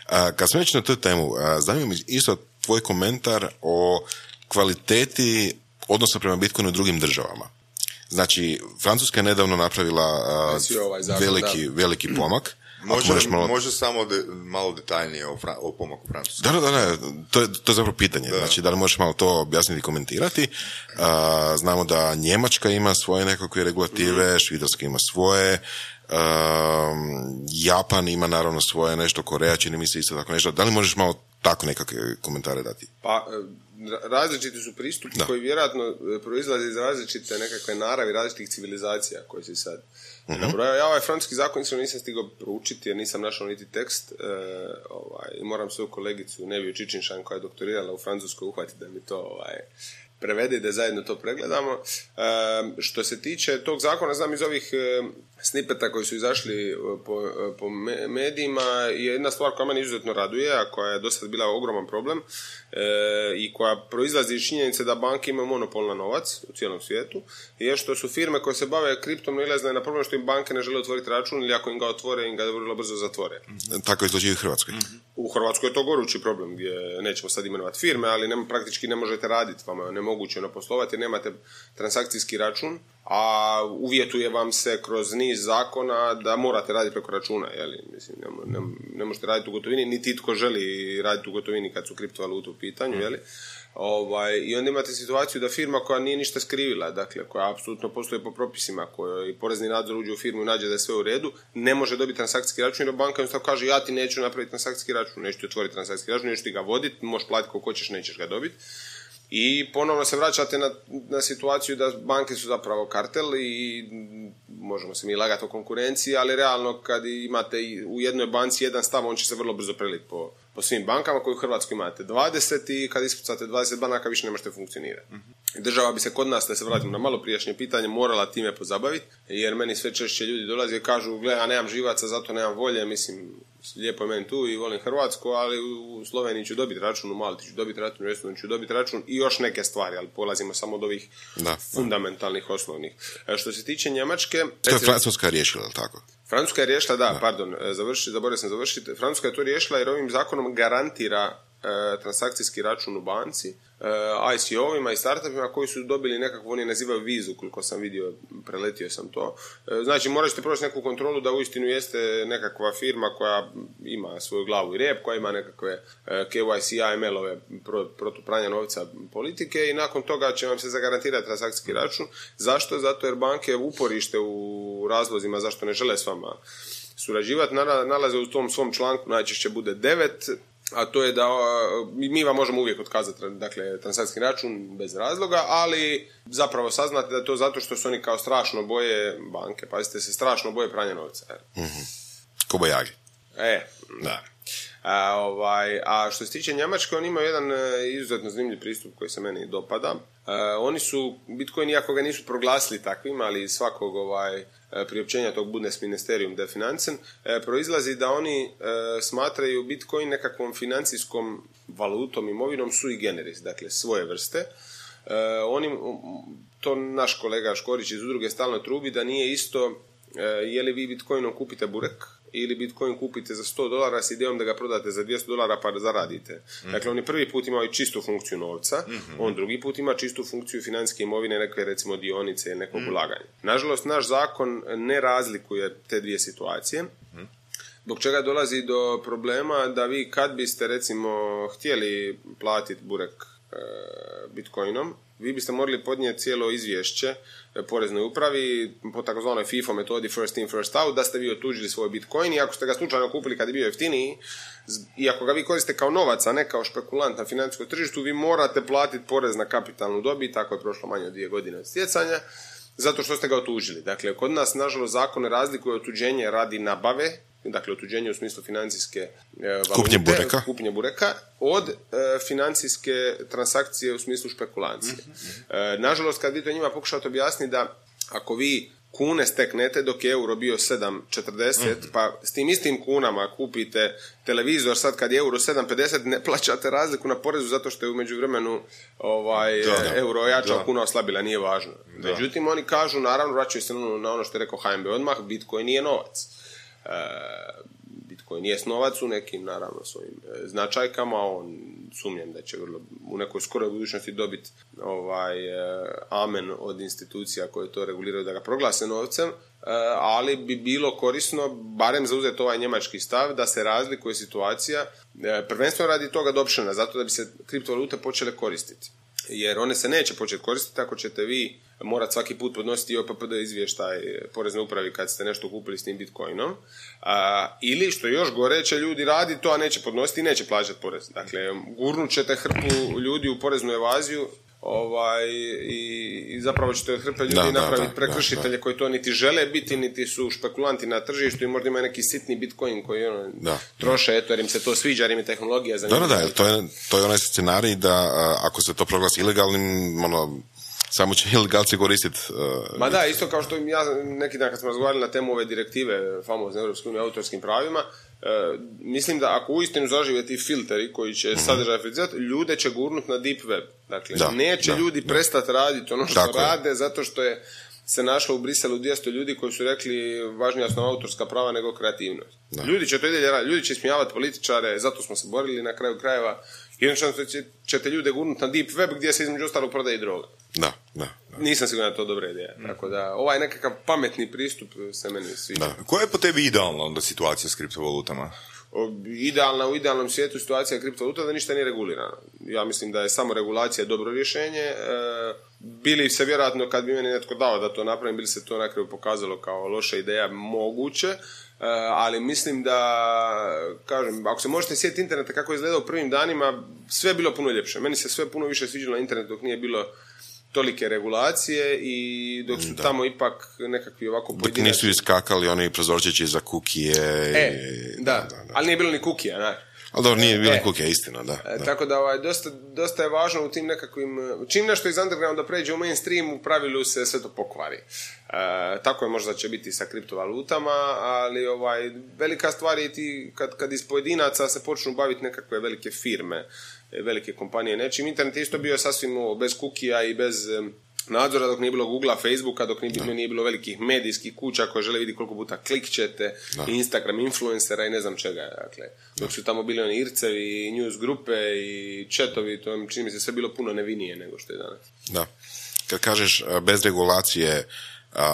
A, kad smo već na tu temu, zanima mi isto tvoj komentar o kvaliteti odnosa prema Bitcoinu u drugim državama. Znači, Francuska je nedavno napravila a, ovaj zakon, veliki, veliki pomak. Može, malo... može samo de, malo detaljnije o, fra, o pomaku Francuske. Da, da, da, to je, to je zapravo pitanje. Da. Znači, da li možeš malo to objasniti i komentirati? A, znamo da Njemačka ima svoje nekakve regulative, mm. Švicarska ima svoje, a, Japan ima naravno svoje nešto, Koreja čini mi se isto tako nešto. Da li možeš malo tako nekakve komentare dati? Pa, različiti su pristupi da. koji vjerojatno proizlaze iz različite nekakve naravi, različitih civilizacija koje se sad uh-huh. nabrojao. Ja ovaj francuski zakon nisam stigao proučiti jer nisam našao niti tekst. E, ovaj, moram svoju kolegicu Neviju Čičinšan koja je doktorirala u Francuskoj uhvatiti da mi to ovaj, prevede i da zajedno to pregledamo. E, što se tiče tog zakona, znam iz ovih e, snipeta koji su izašli po, po medijima, je jedna stvar koja mene izuzetno raduje, a koja je do sad bila ogroman problem e, i koja proizlazi iz činjenice da banke imaju monopol na novac u cijelom svijetu, je što su firme koje se bave kriptom nailazne na problem što im banke ne žele otvoriti račun ili ako im ga otvore, im ga vrlo brzo zatvore. Tako je slučaj u Hrvatskoj. U Hrvatskoj je to gorući problem gdje nećemo sad imenovati firme, ali nema, praktički ne možete raditi, vama je nemoguće poslovati jer nemate transakcijski račun, a uvjetuje vam se kroz niz zakona da morate raditi preko računa, jeli? Mislim, ne, ne, ne možete raditi u gotovini, niti itko želi raditi u gotovini kad su kriptovalute u pitanju, jeli? Ovaj, i onda imate situaciju da firma koja nije ništa skrivila, dakle, koja apsolutno postoji po propisima, kojoj porezni nadzor uđe u firmu i nađe da je sve u redu, ne može dobiti transakcijski račun jer banka jednostavno kaže ja ti neću napraviti transakcijski račun, neću ti otvoriti transakcijski račun, neću ti ga voditi, možeš platiti koliko hoćeš, nećeš ga dobiti. I ponovno se vraćate na, na situaciju da banke su zapravo kartel i možemo se mi lagati o konkurenciji, ali realno kad imate u jednoj banci jedan stav, on će se vrlo brzo preliti po, po svim bankama koji u Hrvatskoj imate dvadeset i kad ispucate dvadeset banaka više ne možete funkcionirati. Mm-hmm. Država bi se kod nas, da se vratimo na malo prijašnje pitanje, morala time pozabaviti, jer meni sve češće ljudi dolaze i kažu gle, ja nemam živaca, zato nemam volje, mislim, lijepo je meni tu i volim Hrvatsku, ali u Sloveniji ću dobiti račun, u Malti ću dobiti račun, u Estoniji ću dobiti račun i još neke stvari, ali polazimo samo od ovih da, fundamentalnih, da. osnovnih. E, što se tiče Njemačke... To je Francuska riješila, ali tako? Francuska je riješila, da, da. pardon, završi, zaboravio sam završiti. Francuska je to riješila jer ovim zakonom garantira e, transakcijski račun u banci, e, I C O-ovima i startupima koji su dobili nekakvu, oni nazivaju vizu, koliko sam vidio, preletio sam to. E, znači, morat ćete proći neku kontrolu da uistinu jeste nekakva firma koja ima svoju glavu i rep, koja ima nekakve e, K Y C, A M L-ove pro, protupranja novca politike i nakon toga će vam se zagarantirati transakcijski račun. Zašto? Zato jer banke uporište u razlozima zašto ne žele s vama surađivati, nalaze u tom svom članku, najčešće bude devet, a to je da mi vam možemo uvijek otkazati, dakle, transakcijski račun bez razloga, ali zapravo saznate da je to zato što su oni kao strašno boje banke, pazite se, strašno boje pranja novca. Mm-hmm. Kobajagi. E, da. A, ovaj, a što se tiče Njemačke, oni imaju jedan izuzetno zanimljiv pristup koji se meni dopada. A, oni su, Bitcoin, iako ga nisu proglasili takvim, ali svakog ovaj, priopćenja tog Bundesministerium der Finanzen, e, proizlazi da oni e, smatraju Bitcoin nekakvom financijskom valutom, imovinom sui generis, dakle svoje vrste. E, oni, to naš kolega Škorić iz udruge stalno trubi da nije isto e, je li vi Bitcoinom kupite burek ili Bitcoin kupite za sto dolara s idejom da ga prodate za dvjesto dolara pa da zaradite. Mm-hmm. Dakle, oni prvi put imaju čistu funkciju novca, mm-hmm. on drugi put ima čistu funkciju financijske imovine, neke recimo dionice ili nekog mm-hmm. ulaganja. Nažalost, naš zakon ne razlikuje te dvije situacije, mm-hmm. zbog čega dolazi do problema da vi kad biste recimo htjeli platiti burek e, Bitcoinom, vi biste morali podnijeti cijelo izvješće poreznoj upravi po takozvanoj FIFO metodi first in first out, da ste vi otuđili svoj Bitcoin i ako ste ga slučajno kupili kad je bio jeftiniji I ako ga vi koristite kao novac, a ne kao špekulant na financijskom tržištu, vi morate platiti porez na kapitalnu dobit, tako je prošlo manje od dvije godine od stjecanja, zato što ste ga otužili. Dakle, kod nas, nažalost, zakon ne razlikuje otuđenje radi nabave, dakle otuđenje u smislu financijske e, valute, kupnje bureka, kupnje bureka od e, financijske transakcije u smislu špekulacije. Mm-hmm. E, nažalost, kad vi to njima pokušate objasniti da ako vi kune steknete dok je euro bio sedam četrdeset, mm-hmm. pa s tim istim kunama kupite televizor, sad kad je euro sedam pedeset, ne plaćate razliku na porezu zato što je u međuvremenu ovaj, da, da. euro jačao, da. kuna oslabila, nije važno. Da. Međutim, oni kažu, naravno, vraćaju se na ono što je rekao H N B odmah, Bitcoin nije novac. E, Bitcoin nije novac u nekim, naravno, svojim e, značajkama, on sumnjam da će vrlo, u nekoj skoroj budućnosti dobiti ovaj, e, amen od institucija koje to reguliraju da ga proglase novcem, e, ali bi bilo korisno, barem zauzeti ovaj njemački stav, da se razlikuje situacija, e, prvenstveno radi toga adoptiona, zato da bi se kriptovalute počele koristiti. Jer one se neće početi koristiti ako ćete vi morati svaki put podnositi O P P D izvještaj porezne upravi kad ste nešto kupili s tim bitcoinom. A, ili, što još gore, će ljudi raditi to, a neće podnositi i neće plaćati porez. Dakle, gurnut ćete hrpu ljudi u poreznu evaziju ovaj, i, i zapravo ćete od hrpe ljudi da, napraviti da, prekršitelje da, da. koji to niti žele biti, niti su špekulanti na tržištu i možda imaju neki sitni bitcoin koji ono, da, troše, da. eto, jer im se to sviđa, jer im je tehnologija za Da, da, da, to je, to je onaj scenarij da a, ako se to proglasi ilegalnim, ono, samo će ilegalci koristiti. Uh, Ma da, isto kao što ja neki dan kad smo razgovarali na temu ove direktive famozne Europske unije o autorskim pravima, uh, mislim da ako uistinu zažive ti filteri koji će mm-hmm. sadržaj filtrirati, ljude će gurnut na deep web. Dakle, da, neće da, ljudi da. prestati raditi ono što Tako rade je. zato što je se našlo u Briselu dvjesto ljudi koji su rekli važnija su nam autorska prava nego kreativnost. Da. Ljudi će to ide raditi, ljudi će smijavati političare, zato smo se borili na kraju krajeva. Jednostavno ćete ljude gurnuti na deep web gdje se između ostalog prodaje droga. Da, da, da. Nisam siguran da to dobra ideja. Mm. Tako da, ovaj nekakav pametni pristup se meni sviđa. Da. Koja je po tebi idealna onda situacija s kriptovalutama? O, idealna, u idealnom svijetu situacija kriptovaluta da ništa nije regulirano. Ja mislim da je samo regulacija dobro rješenje. E, bili se vjerojatno, kad bi meni netko dao da to napravim, bili se to na kraju pokazalo kao loša ideja, moguće. Uh, ali mislim da, kažem, ako se možete sjetiti interneta kako je izgledao u prvim danima, sve je bilo puno ljepše. Meni se sve puno više sviđalo na internetu dok nije bilo tolike regulacije i dok su da. tamo ipak nekakvi ovako pojedinačni... Dok nisu iskakali oni prozorčići za kukije. E, i... da. Da, da, da, ali nije bilo ni kukija, ne? Ali dobro, nije bilo e, kukija, istina, da. da. Tako da ovaj, dosta, dosta je važno u tim nekakvim... Čim nešto iz undergrounda pređe u mainstream, u pravilu se sve to pokvari. E, tako je možda će biti sa kriptovalutama, ali ovaj, velika stvar je ti kad, kad iz pojedinaca se počnu baviti nekakve velike firme, velike kompanije nečim. Internet je isto bio sasvim bez kukija i bez nadzora dok nije bilo Googlea, Facebooka, dok nije, no. nije bilo velikih medijskih kuća koje žele vidjeti koliko puta klikćete, no. Instagram influencera i ne znam čega. Dakle, dok su tamo bili oni ircevi, news grupe i chatovi, to čini mi se sve bilo puno nevinije nego što je danas. Da. Kad kažeš bez regulacije,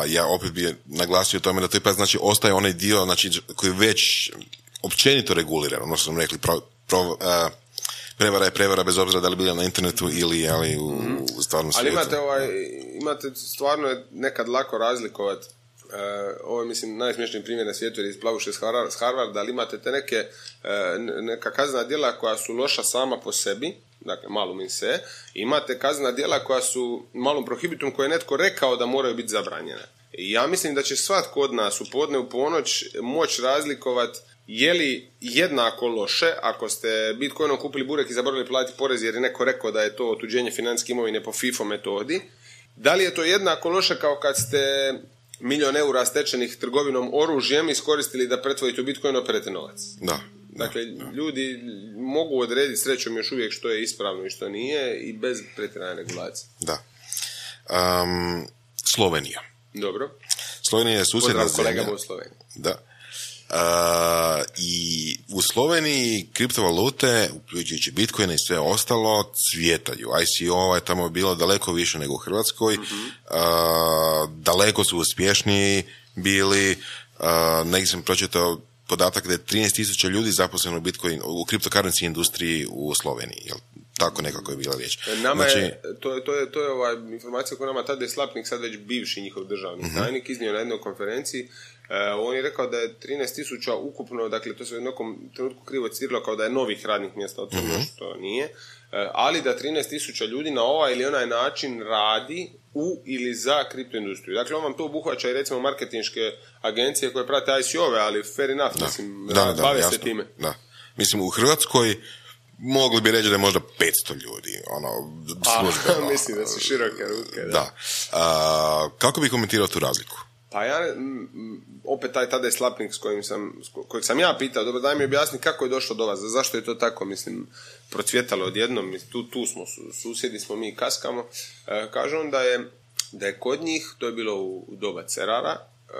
ja opet bi naglasio tome da to ipak znači ostaje onaj dio znači, koji već općenito reguliran, ono što smo rekli, pro, pro, uh, prevara je prevara bez obzira da li bila na internetu ili ali u, u stvarnom svijetu. Ali imate, ovaj, imate stvarno je nekad lako razlikovati. Uh, ovo je, mislim, najsmješniji primjer na svijetu jer isplavuše s Harvarda, ali imate te neke uh, neka kaznena djela koja su loša sama po sebi, dakle malum in se, imate kaznena djela koja su malum prohibitum koje je netko rekao da moraju biti zabranjene. I ja mislim da će svatko od nas u podne u ponoć moći razlikovati je li jednako loše ako ste bitcoinom kupili burek i zaboravili platiti porez jer je neko rekao da je to otuđenje financijske imovine po FIFO metodi, da li je to jednako loše kao kad ste milion eura stečenih trgovinom oružjem iskoristili da pretvorite u bitcoin operete novac. Da. Dakle, da, da. ljudi mogu odrediti srećom još uvijek što je ispravno i što nije i bez pretjerane regulacije. Da. Um, Slovenija. Dobro. Slovenija je susjedna zemlja. Kolegama u Sloveniji. Da. Uh, i u Sloveniji kriptovalute, uključujući Bitcoin i sve ostalo, cvjetaju. I C O je tamo bilo daleko više nego u Hrvatskoj. Mm-hmm. Uh, daleko su uspješniji bili. Uh, negdje sam pročitao podatak da je trinaest tisuća ljudi zaposleno u Bitcoin, u kriptokarenci industriji u Sloveniji. Jel Tako nekako je bila riječ. Nama znači, je, to je, to je, to je ova informacija koju nama tada je Slapnik, sad već bivši njihov državni uh-huh. tajnik, iznio na jednoj konferenciji. Uh, on je rekao da je trinaest tisuća ukupno, dakle to se u nekom trenutku krivo citiralo kao da je novih radnih mjesta otvoreno, uh-huh. što nije, uh, ali da trinaest tisuća ljudi na ovaj ili onaj način radi u ili za kriptoindustriju. Dakle, on vam to obuhvaća i recimo marketinške agencije koje prate I C O-ve, ali fair enough, da. mislim, da, da, bave da, se time. Da. Mislim, u Hrvatskoj mogli bi reći da je možda petsto ljudi, ono, službeno. A, mislim da su široke ruke. Da. da. A, kako bi komentirao tu razliku? Pa ja, m, opet taj tada je Slapnik s kojim sam, s kojeg sam ja pitao, dobro, daj mi objasni kako je došlo do vas, zašto je to tako, mislim, procvjetalo odjednom, tu, tu smo, susjedi smo, mi kaskamo. E, kaže on da je, da je kod njih, to je bilo u, u doba Cerara, e,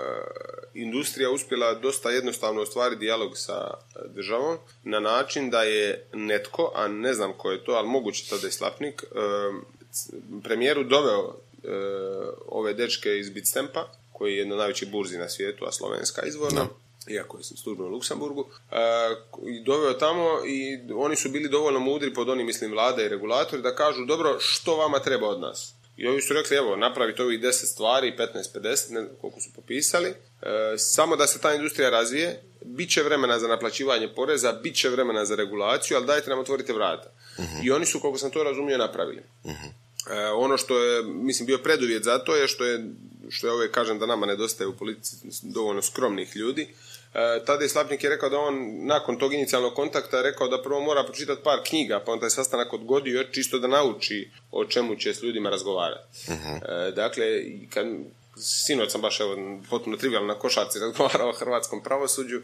industrija uspjela dosta jednostavno ostvariti dijalog sa državom na način da je netko, a ne znam ko je to, ali moguće tada je Slapnik, e, premijeru doveo e, ove dečke iz Bitstampa, koji je jedna od najvećih burzi na svijetu, a slovenska izvorno, no. iako je službeno u Luksemburgu, e, i doveo tamo i oni su bili dovoljno mudri pod onim, mislim, vlade i regulatori da kažu, dobro, što vama treba od nas? I ovi su rekli, evo, napravite ovih deset stvari, petnaest pedeset, ne znam koliko su popisali, e, samo da se ta industrija razvije, bit će vremena za naplaćivanje poreza, bit će vremena za regulaciju, ali dajte nam otvorite vrata. Uh-huh. I oni su, koliko sam to razumio, napravili. Uh-huh. E, ono što je, mislim, bio preduvjet za to je što je, što je ove, kažem da nama nedostaje u politici dovoljno skromnih ljudi. E, tada je Slapnik je rekao da on nakon tog inicijalnog kontakta je rekao da prvo mora pročitati par knjiga, pa on taj sastanak odgodio čisto da nauči o čemu će s ljudima razgovarati. Uh-huh. E, dakle, kad, sinoć sam baš evo, potpuno trivijalno na košarci razgovarao o hrvatskom pravosuđu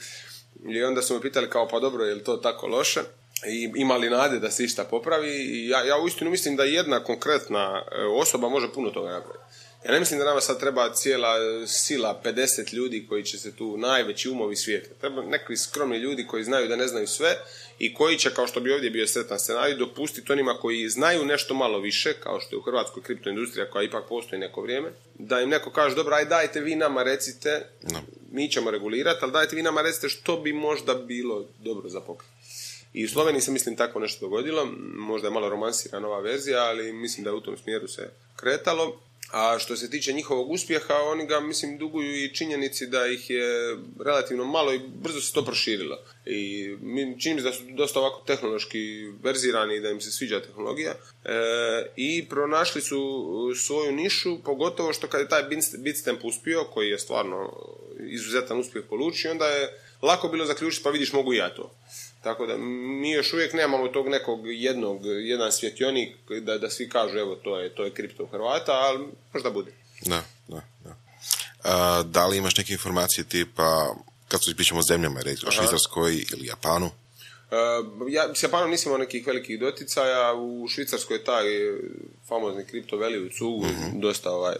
i onda su me pitali kao pa dobro, je li to tako loše? I imali nade da se išta popravi i ja, ja uistinu mislim da jedna konkretna osoba može puno toga napraviti. Ja ne mislim da nama sad treba cijela sila pedeset ljudi koji će se tu najveći umovi svijeta. Treba neki skromni ljudi koji znaju da ne znaju sve i koji će, kao što bi ovdje bio sretan scenarij, dopustiti onima koji znaju nešto malo više, kao što je u Hrvatskoj kriptoindustrija koja ipak postoji neko vrijeme, da im neko kaže, dobro, aj dajte vi nama recite, no. mi ćemo regulirati, ali dajte vi nama recite što bi možda bilo dobro za pokret. I u Sloveniji se, mislim, tako nešto dogodilo, možda je malo romansirana ova verzija, ali mislim da je u tom smjeru se kretalo. A što se tiče njihovog uspjeha, oni ga, mislim, duguju i činjenici da ih je relativno malo i brzo se to proširilo. I čini mi se da su dosta ovako tehnološki verzirani i da im se sviđa tehnologija. E, I pronašli su svoju nišu, pogotovo što kad je taj Bitstamp uspio, koji je stvarno izuzetan uspjeh polučio, onda je lako bilo zaključiti, pa vidiš, mogu i ja to. Tako da mi još uvijek nemamo tog nekog jednog, jedan svjetionik da, da svi kažu evo to je, to je kripto Hrvata, ali možda bude. Da, da, da. A, da li imaš neke informacije tipa, kad su pričamo o zemljama, recimo o Švicarskoj ili Japanu? Uh, ja s Japanom nisam imao nekih velikih doticaja, u Švicarskoj je taj famozni kripto veli u Cugu, uh-huh. dosta ovaj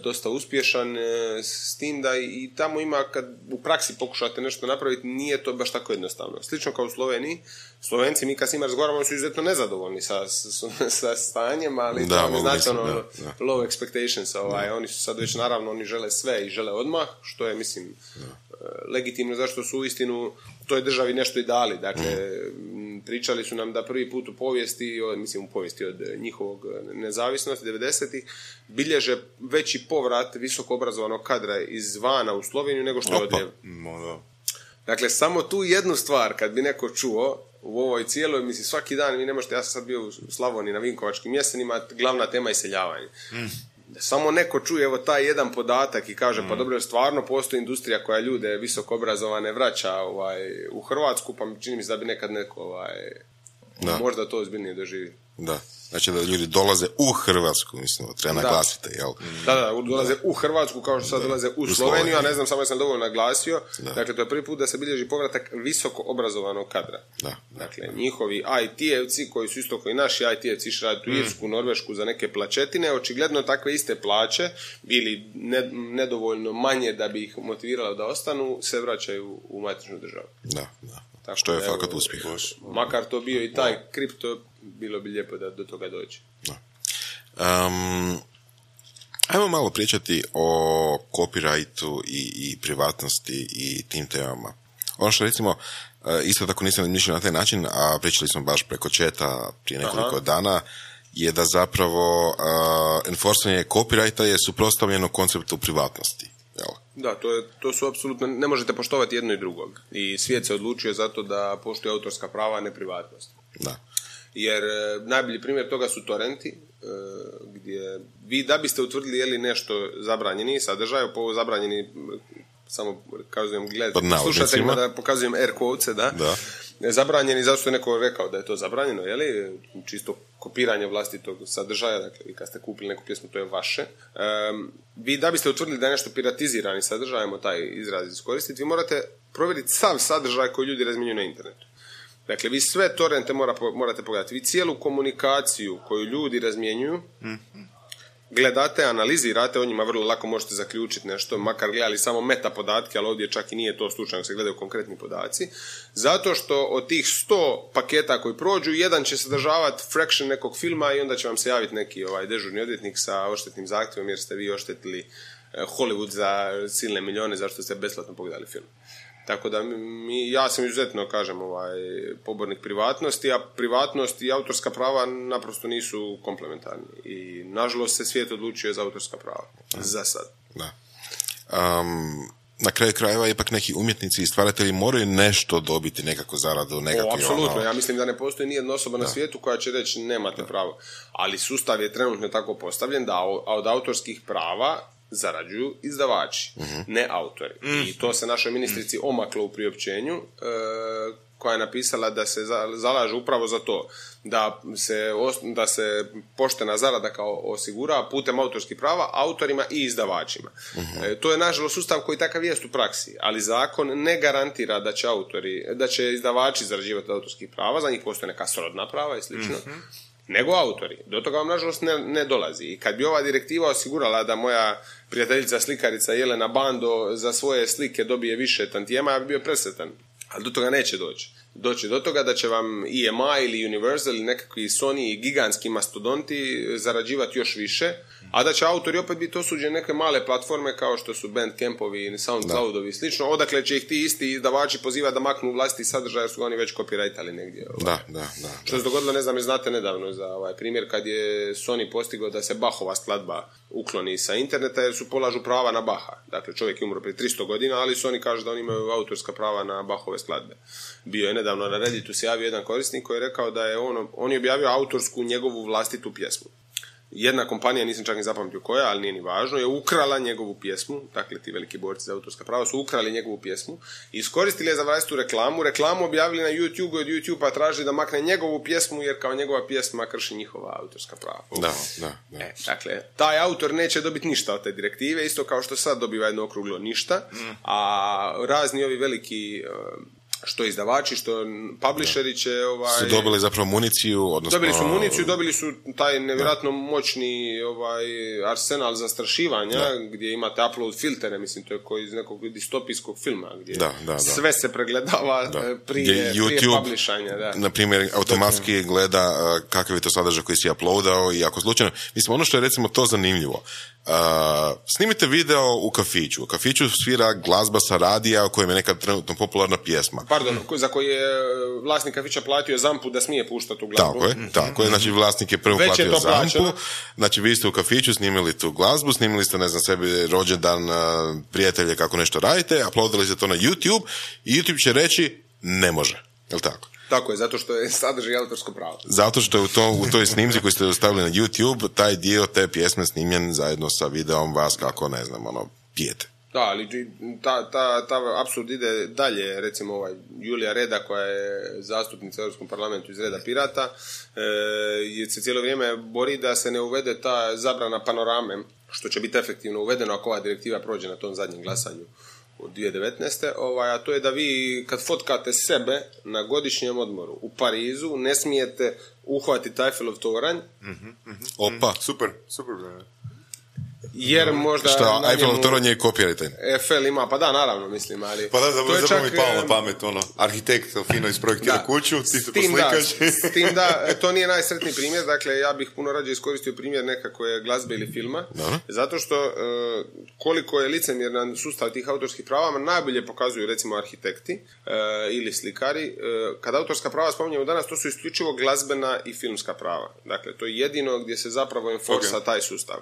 dosta uspješan, s tim da i tamo ima, kad u praksi pokušate nešto napraviti, nije to baš tako jednostavno. Slično kao u Sloveniji. Slovenci, mi kad s njima razgovaramo, su izuzetno nezadovoljni sa, sa, sa stanjem, ali da, to ne znači ono da, da. low expectations. Ovaj. Oni su sad već, naravno, oni žele sve i žele odmah, što je, mislim, da. legitimno, zašto su uistinu toj državi nešto i dali. Dakle, mm. pričali su nam da prvi put u povijesti, mislim u povijesti od njihovog nezavisnosti, devedesetih, bilježe veći povrat visoko obrazovanog kadra izvana u Sloveniju nego što je odljev. Dakle, samo tu jednu stvar, kad bi neko čuo u ovoj cijeloj, mislim, svaki dan, vi ne možete, ja sam sad bio u Slavoniji na Vinkovačkim jesenima, glavna tema je iseljavanje. Mm. Samo neko čuje evo taj jedan podatak i kaže, mm. pa dobro, stvarno postoji industrija koja ljude visoko obrazovane vraća ovaj, u Hrvatsku, pa čini mi se da bi nekad neko ovaj, možda to ozbiljnije doživi. Da. Znači da ljudi dolaze u Hrvatsku, mislim, treba naglasiti, jel? Da, da, dolaze u Hrvatsku kao što sad da. dolaze u, u Sloveniju, a ne znam, samo ja sam dovoljno naglasio. Da. Dakle, to je prvi put da se bilježi povratak visoko obrazovanog kadra. Da. Dakle, njihovi I T-evci, koji su isto koji naši I T-evci išli raditi u Irsku, Norvešku za neke plačetine, očigledno takve iste plaće, bili ne, nedovoljno manje da bi ih motiviralo da ostanu, se vraćaju u matičnu državu. Da, da. Tako, što je evo, fakat uspjeh. Makar to bio i taj kripto, bilo bi lijepo da do toga dođe. Um, ajmo malo pričati o copyrightu i, i privatnosti i tim temama. Ono što recimo, isto tako nisam mišljeno na taj način, a pričali smo baš preko chata prije nekoliko Aha. dana, je da zapravo uh, enforcement copyrighta je suprotstavljeno konceptu privatnosti. Jel? Da, to, je, to su apsolutno, ne možete poštovati jedno i drugog. I svijet se odlučio zato da poštuje autorska prava, a ne privatnost. Da. Jer e, najbolji primjer toga su torrenti, e, gdje vi da biste utvrdili je li nešto zabranjeni sadržaj, po zabranjeni, samo kazujem gledati slušateljima da pokazujem air quotes, da, da. Zabranjeni zato što je neko rekao da je to zabranjeno, je li? Čisto kopiranje vlastitog sadržaja, dakle, vi kad ste kupili neku pjesmu, to je vaše. E, vi da biste utvrdili da je nešto piratizirani sadržaj, ajmo taj izraz iskoristiti, vi morate provjeriti sav sadržaj koji ljudi razmjenjuju na internetu. Dakle, vi sve torrente mora, morate pogledati. Vi cijelu komunikaciju koju ljudi razmjenjuju, mm-hmm. gledate, analizirate, o njima vrlo lako možete zaključiti nešto, makar gledali samo meta podatke, ali ovdje čak i nije to slučajno, se gledaju konkretni podaci, zato što od tih sto paketa koji prođu, jedan će sadržavati fraction nekog filma i onda će vam se javiti neki ovaj dežurni odvjetnik sa odštetnim zahtjevom jer ste vi oštetili Hollywood za silne milijone zašto ste besplatno pogledali film. Tako da mi, ja sam izuzetno, kažem, ovaj, pobornik privatnosti, a privatnost i autorska prava naprosto nisu komplementarni. I nažalost se svijet odlučio za autorska prava. Da. Za sad. Da. Um, na kraju krajeva ipak neki umjetnici i stvaratelji moraju nešto dobiti, nekako zaradu, nekakvi ono... Apsolutno, ja mislim da ne postoji nijedna osoba da. na svijetu koja će reći nemate da. pravo. Ali sustav je trenutno tako postavljen da od autorskih prava zarađuju izdavači, uh-huh. ne autori. Uh-huh. I to se našoj ministrici omaklo u priopćenju, e, koja je napisala da se za, zalaže upravo za to, da se, da se poštena zarada kao osigura putem autorskih prava autorima i izdavačima. Uh-huh. E, to je nažalost sustav koji takav jest u praksi, ali zakon ne garantira da će autori, da će izdavači zarađivati autorskih prava, za njih postoje neka srodna prava i slično. Uh-huh. Nego autori. Do toga vam nažalost ne, ne dolazi. I kad bi ova direktiva osigurala da moja prijateljica slikarica Jelena Bando za svoje slike dobije više tantijema, ja bi bio presretan. Ali do toga neće doći. Doći do toga da će vam E M I ili Universal ili nekakvi Sony i gigantski mastodonti zarađivati još više, a da će autori opet biti osuđeni neke male platforme kao što su Bandcampovi, Soundcloudovi i slično, odakle će ih ti isti izdavači pozivati da maknu vlastiti sadržaj jer su ga oni već copyrightali negdje. Ovaj. Da, da, da. Što se dogodilo, ne znam, znate nedavno za ovaj primjer kad je Sony postigao da se Bachova skladba ukloni sa interneta jer su polažu prava na Baha. Dakle, čovjek je umro prije tristo godina, ali Sony kaže da oni imaju autorska prava na Bachove skladbe. Bio je nedavno na Redditu se javio jedan korisnik koji je rekao da je on, on je objavio autorsku njegovu vlastitu pjesmu. Jedna kompanija, nisam čak ni zapamtio koja, ali nije ni važno, je ukrala njegovu pjesmu, dakle ti veliki borci za autorska prava su ukrali njegovu pjesmu i iskoristili je za vlastitu reklamu, reklamu objavili na YouTube, od YouTube-a tražili da makne njegovu pjesmu jer kao njegova pjesma krši njihova autorska prava. Da, da, da. E, dakle, taj autor neće dobiti ništa od te direktive, isto kao što sad dobiva jedno okruglo ništa, a razni ovi veliki... što izdavači, što publisheri će... Ovaj, su dobili zapravo municiju, odnosno... Dobili su municiju, dobili su taj nevjerojatno da. moćni ovaj, arsenal zastrašivanja, da. gdje imate upload filtere, mislim, to je koji iz nekog distopijskog filma, gdje da, da, da. sve se pregledava da. prije, YouTube, prije publishanja. Da. Na primjer, automatski da. gleda uh, kakav je to sadržaj koji si uploadao i ako slučajno... Mislim, ono što je recimo to zanimljivo, Uh, snimite video u kafiću. U kafiću svira glazba sa radija u kojem je neka trenutno popularna pjesma. Pardon, za koji je vlasnik kafića platio zampu da smije puštati tu glazbu. Tako je, mm-hmm. tako je. Znači vlasnik je prvo Već platio je to zampu. plaćeno. Znači vi ste u kafiću snimili tu glazbu, snimili ste, ne znam, sebi rođendan, uh, prijatelje kako nešto radite, uploadili ste to na YouTube i YouTube će reći ne može. Jel tako? Tako je, zato što je sadržaj autorsko pravo. Zato što je u, to, u toj snimci koju ste ostavili na YouTube, taj dio te pjesme snimljen zajedno sa videom vas kako, ne znam, ono, pijete. Da, ali ta, ta, ta apsurd ide dalje, recimo ovaj Julija Reda koja je zastupnica u Europskom parlamentu iz reda Pirata, e, se cijelo vrijeme bori da se ne uvede ta zabrana panorame, što će biti efektivno uvedeno ako ova direktiva prođe na tom zadnjem glasanju od dvije tisuće devetnaeste. Ovaj, a to je da vi kad fotkate sebe na godišnjem odmoru u Parizu ne smijete uhvatiti Eiffelov toranj. Mm-hmm, mm-hmm. Opa, super, super. jer možda... Šta, Eiffel njemu... toranj je copywriter. Eiffel ima, pa da, naravno, mislim, ali... Pa da, da, to je zapravo čak, mi palo na pamet, ono, arhitekt fino isprojektira da, kuću, ti se tim poslikaš. Da, s tim da, to nije najsretniji primjer, dakle, ja bih puno rađe iskoristio primjer nekakve glazbe ili filma, Dobro. zato što uh, koliko je licemjeran sustav tih autorskih prava, najbolje pokazuju, recimo, arhitekti uh, ili slikari. Uh, kad autorska prava spominjemo danas, to su isključivo glazbena i filmska prava. Dakle, to je jedino gdje se zapravo enforsa okay. taj sustav.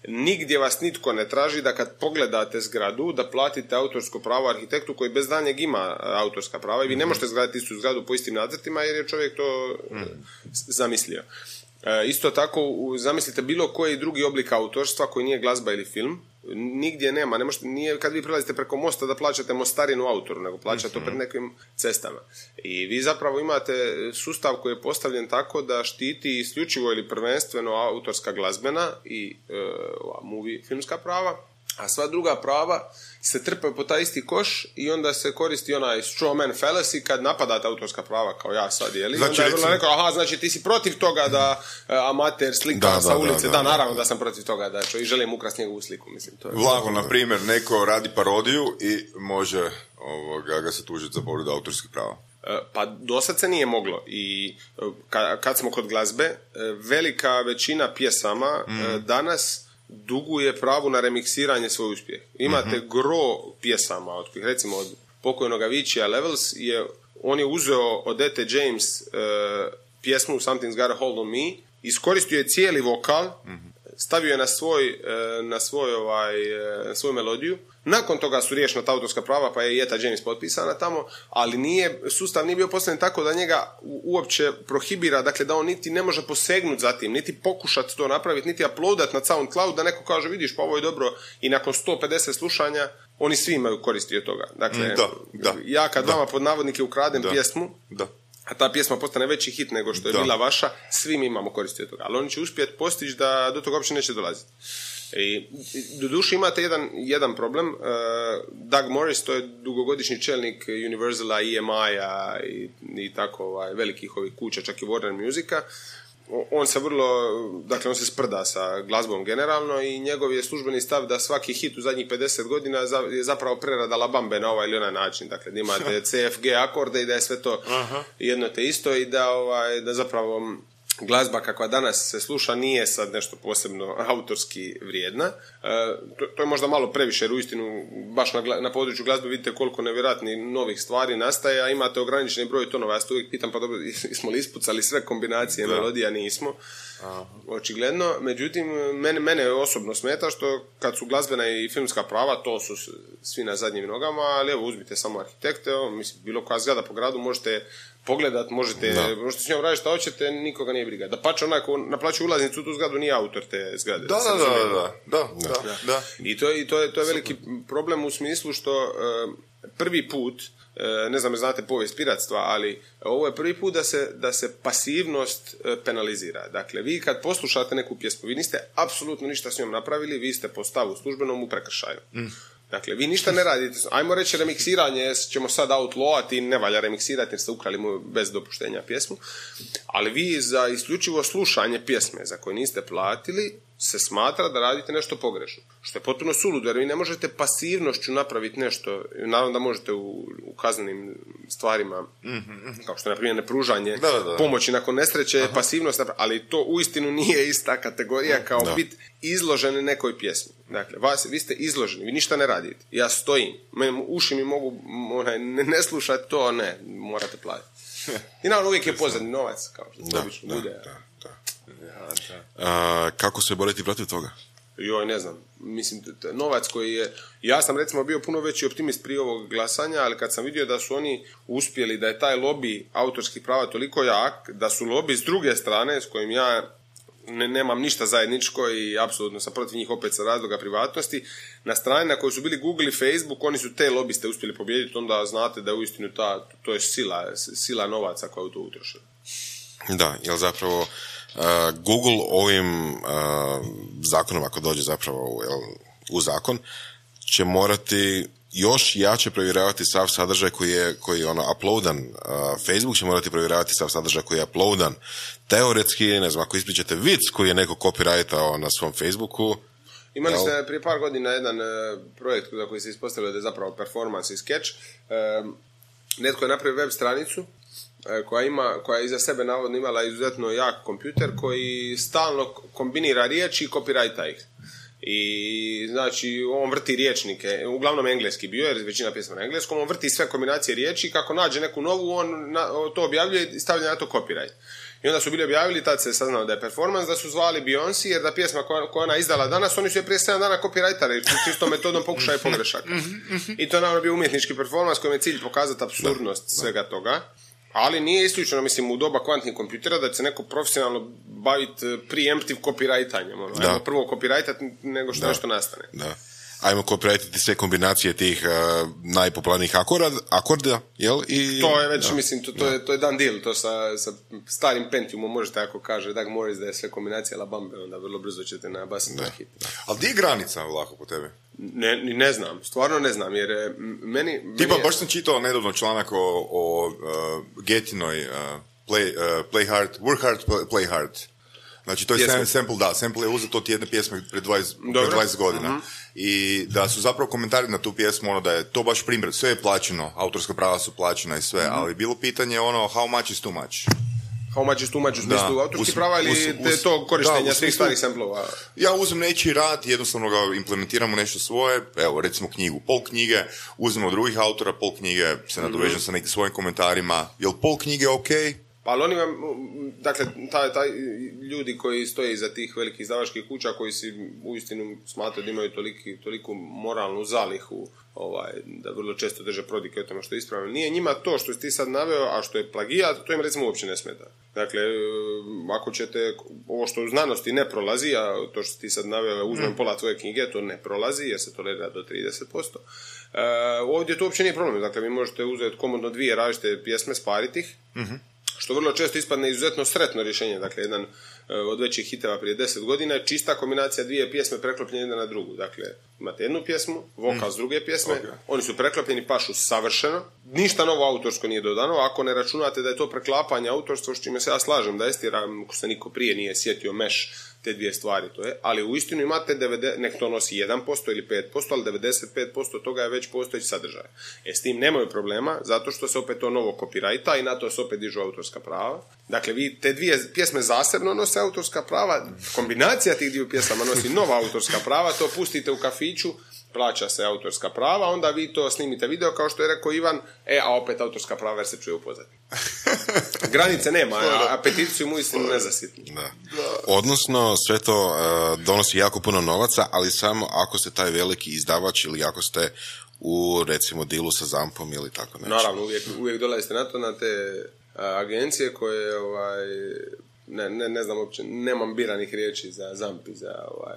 Nigdje vas nitko ne traži da kad pogledate zgradu da platite autorsko pravo arhitektu koji bez daljnjeg ima autorska prava i vi ne možete izgraditi istu zgradu po istim nacrtima jer je čovjek to mm. zamislio. E, isto tako zamislite bilo koji drugi oblik autorstva koji nije glazba ili film, nigdje nema, ne možete, nije kad vi prelazite preko mosta da plaćate mostarinu autoru, nego plaćate to pred nekim cestama. I vi zapravo imate sustav koji je postavljen tako da štiti isključivo ili prvenstveno autorska glazbena i e, movie filmska prava, a sva druga prava se trpe po taj isti koš i onda se koristi onaj straw man fallacy kad napadate autorska prava kao ja sad, jeli? Znači, onda je vrlo rekao, aha, znači ti si protiv toga da uh, amater slika da, sa da, ulice, da, da, da, naravno da sam protiv toga da čo, i želim ukrasti njegovu sliku, mislim. To je Vlago, na primjer, neko radi parodiju i može ovoga, ga se tužiti za povredu autorskih prava. Pa do sad se nije moglo i kad smo kod glazbe, velika većina pjesama mm. danas duguje pravu na remiksiranje svoj uspjeh. Imate mm-hmm. gro pjesama, od, recimo od pokojnog Aviciija Levels, je, on je uzeo od E T James uh, pjesmu Something's Got a Hold on Me, iskoristio je cijeli vokal, mm-hmm. stavio je na svoj, uh, na svoj ovaj, uh, svoju melodiju. Nakon toga su riješena ta autorska prava, pa je Eta James potpisana tamo, ali nije, sustav nije bio postavljen tako da njega uopće prohibira, dakle da on niti ne može posegnuti za tim, niti pokušati to napraviti, niti uploadati na SoundCloud, da neko kaže, vidiš, pa ovo je dobro, i nakon sto pedeset slušanja, oni svi imaju koristi od toga. Dakle, da, da, ja kad da. vama pod navodnike ukradem da. pjesmu, da. a ta pjesma postane veći hit nego što je da. bila vaša, svi mi imamo koristi od toga. Ali oni će uspjeti postići da do toga uopće neće dolaziti. I doduše imate jedan, jedan problem. uh, Doug Morris, to je dugogodišnji čelnik Universala, E M I-a i, i tako ovaj, velikih ovih kuća, čak i Warner Musica. On se vrlo, dakle on se sprda sa glazbom generalno i njegov je službeni stav da svaki hit u zadnjih pedeset godina je zapravo prerada La Bambe na ovaj ili onaj način. Dakle, da imate C F G akorde i da je sve to uh-huh. jedno te isto i da, ovaj, da zapravo glazba kakva danas se sluša nije sad nešto posebno autorski vrijedna. E, to, to je možda malo previše, jer uistinu baš na, na području glazbe vidite koliko nevjerojatnih novih stvari nastaje, a imate ograničeni broj tonova. Ja se uvijek pitam, pa dobro, smo li ispucali sve kombinacije da. melodija? Nismo. Aha. Očigledno. Međutim, mene, mene osobno smeta što kad su glazbena i filmska prava, to su svi na zadnjim nogama, ali evo uzmite samo arhitekte, evo, mislim, bilo koja zgrada po gradu možete pogledat, možete, možete s njom raditi šta hoćete, nikoga nije briga. Da pače onaj ko naplaćuje ulaznicu u tu zgradu nije autor te zgrade. Da, da, da, da, da, da, da, da. I to, i to je, to je veliki problem u smislu što uh, prvi put, uh, ne znam ne znate povijest piratstva, ali ovo je prvi put da se, da se pasivnost uh, penalizira. Dakle, vi kad poslušate neku pjesmu, vi niste apsolutno ništa s njom napravili, vi ste po stavu službenom u prekršaju. Mm. Dakle, vi ništa ne radite. Ajmo reći, remiksiranje ćemo sad outlawati, ne valja remiksirati jer ste ukrali mu bez dopuštenja pjesmu, ali vi za isključivo slušanje pjesme za koje niste platili se smatra da radite nešto pogrešno. Što je potpuno suludo, jer vi ne možete pasivnošću napraviti nešto, naravno da možete u, u kaznenim stvarima, mm-hmm. kao što je, na primjer, nepružanje da, da. pomoći nakon nesreće, aha. pasivnost, ali to uistinu nije ista kategorija kao da. biti izloženi nekoj pjesmi. Dakle, vas, vi ste izloženi, vi ništa ne radite. Ja stojim, meni, uši mi mogu onaj, ne, ne slušati to, ne, morate platiti. I naravno uvijek je pozadnji novac, kao što da, obično da, bude. Da, da. Ja, da. A, kako se boriti protiv toga? Joj, ne znam. Mislim, novac koji je... Ja sam recimo bio puno veći optimist prije ovog glasanja, ali kad sam vidio da su oni uspjeli, da je taj lobby autorskih prava toliko jak, da su lobby s druge strane, s kojim ja ne, nemam ništa zajedničko i apsolutno sam protiv njih opet sa razloga privatnosti, na strani na kojoj su bili Google i Facebook, oni su te lobiste uspjeli pobijediti, onda znate da uistinu ta, to je sila, sila novaca koja u to utroše. Da, jer zapravo uh, Google ovim uh, zakonom, ako dođe zapravo jel, u zakon, će morati još jače provjeravati sav sadržaj koji je, koji je ono uploadan. Uh, Facebook će morati provjeravati sav sadržaj koji je uploadan. Teoretski, ne znam, ako ispričate vic koji je neko copyrightao na svom Facebooku, Imali Jel? ste prije par godina jedan uh, projekt za koji se ispostavilo da je zapravo performance i sketch. Uh, netko je napravio web stranicu uh, koja ima, koja je iza sebe navodno imala izuzetno jak kompjuter koji stalno kombinira riječi i copyrighta ih. I znači on vrti riječnike, uglavnom engleski bio jer većina pjesma na engleskom, on vrti sve kombinacije riječi i kako nađe neku novu on na, to objavljuje i stavlja na to copyright. I onda su bili objavili, tad se saznalo da je performance, da su zvali Beyoncé jer da pjesma koja, koja ona izdala danas, oni su je prije sedam dana copyrightali, čisto metodom pokušaja pogrešaka. I to je naravno bio umjetnički performance kojem je cilj pokazati apsurdnost da, svega da. toga. Ali nije isključeno, mislim, u doba kvantnih kompjutera da će se neko profesionalno baviti preemptive copyrightanjem. Ono. Ajmo prvo copyrightat nego što da. nešto nastane. Da. Ajmo copyrightati sve kombinacije tih uh, najpopularnijih akorda, akorda, jel? I, to je već, da. mislim, to, to, je, to je dan deal, to sa, sa starim Pentiumom možete, ako kaže Doug Morris da je sve kombinacija Labambe, onda vrlo brzo ćete nabasiti na hit. Ali gdje je granica lako po tebe? Ne, ne znam, stvarno ne znam, jer meni... Tipa, meni je... baš sam čitao nedavno članak o, o uh, Getinoj uh, play, uh, play hard, work hard, play hard. Znači, to je sam, sample, da, sample je uzet od jedne pjesme pred dvadeset, pred dvadeset godina. Uh-huh. I da su zapravo komentari na tu pjesmu, ono da je to baš primjer, sve je plaćeno, autorska prava su plaćena i sve, uh-huh. ali bilo pitanje ono, how much is too much? How much is too much u smislu autorskih prava ili us, us, to korištenja svih starih samplova? Ja uzmem nečiji rad, jednostavno ga implementiramo nešto svoje, evo recimo knjigu, pol knjige, uzmemo drugih autora, pol knjige, se nadovežem mm-hmm. sa nekim svojim komentarima, je li pol knjige ok? Pa ali oni vam, dakle, taj, taj ljudi koji stoje iza tih velikih izdavačkih kuća, koji si uistinu smatraju da imaju toliki, toliku moralnu zalihu, ovaj, da vrlo često drže prodike o tome što je ispravno. Nije njima to što si ti sad naveo, a što je plagijat, to im recimo uopće ne smeta. Dakle, ako ćete, ovo što u znanosti ne prolazi, a to što ti sad naveo, uzmem pola tvoje knjige, to ne prolazi, jer se tolerira do trideset posto. E, ovdje to uopće nije problem. Dakle, vi možete uzeti komodno dvije različite pjesme, spariti ih, mm-hmm. što vrlo često ispadne izuzetno sretno rješenje. Dakle, jedan od većih hiteva prije deset godina je čista kombinacija dvije pjesme preklopljene jedna na drugu. Dakle, imate jednu pjesmu, vokal mm. s druge pjesme, okay. oni su preklopljeni, pašu savršeno, ništa novo autorsko nije dodano, ako ne računate da je to preklapanje autorstva, s čime se ja slažem, da Estira, ako se niko prije nije sjetio meš te dvije stvari, to je, ali uistinu imate devedeset, nek to nosi jedan posto ili pet posto, ali devedeset pet posto toga je već postojeći sadržaj. E, s tim nemaju problema, zato što se opet to novo copyrighta i na to se opet dižu autorska prava. Dakle, vi te dvije pjesme zasebno nose autorska prava, kombinacija tih dviju pjesama nosi nova autorska prava, to pustite u kafiću, plaća se autorska prava, onda vi to snimite video, kao što je rekao Ivan, e, a opet autorska prava jer se čuje u pozadini. Granice nema, a, a peticiju mu istinu nezasitni. Da. Odnosno, sve to uh, donosi jako puno novaca, ali samo ako ste taj veliki izdavač ili ako ste u, recimo, dilu sa Zampom ili tako nešto. Naravno, uvijek, uvijek dolazite na to, na te uh, agencije koje, ovaj, ne, ne, ne znam uopće, nemam biranih riječi za Zamp i za, ovaj,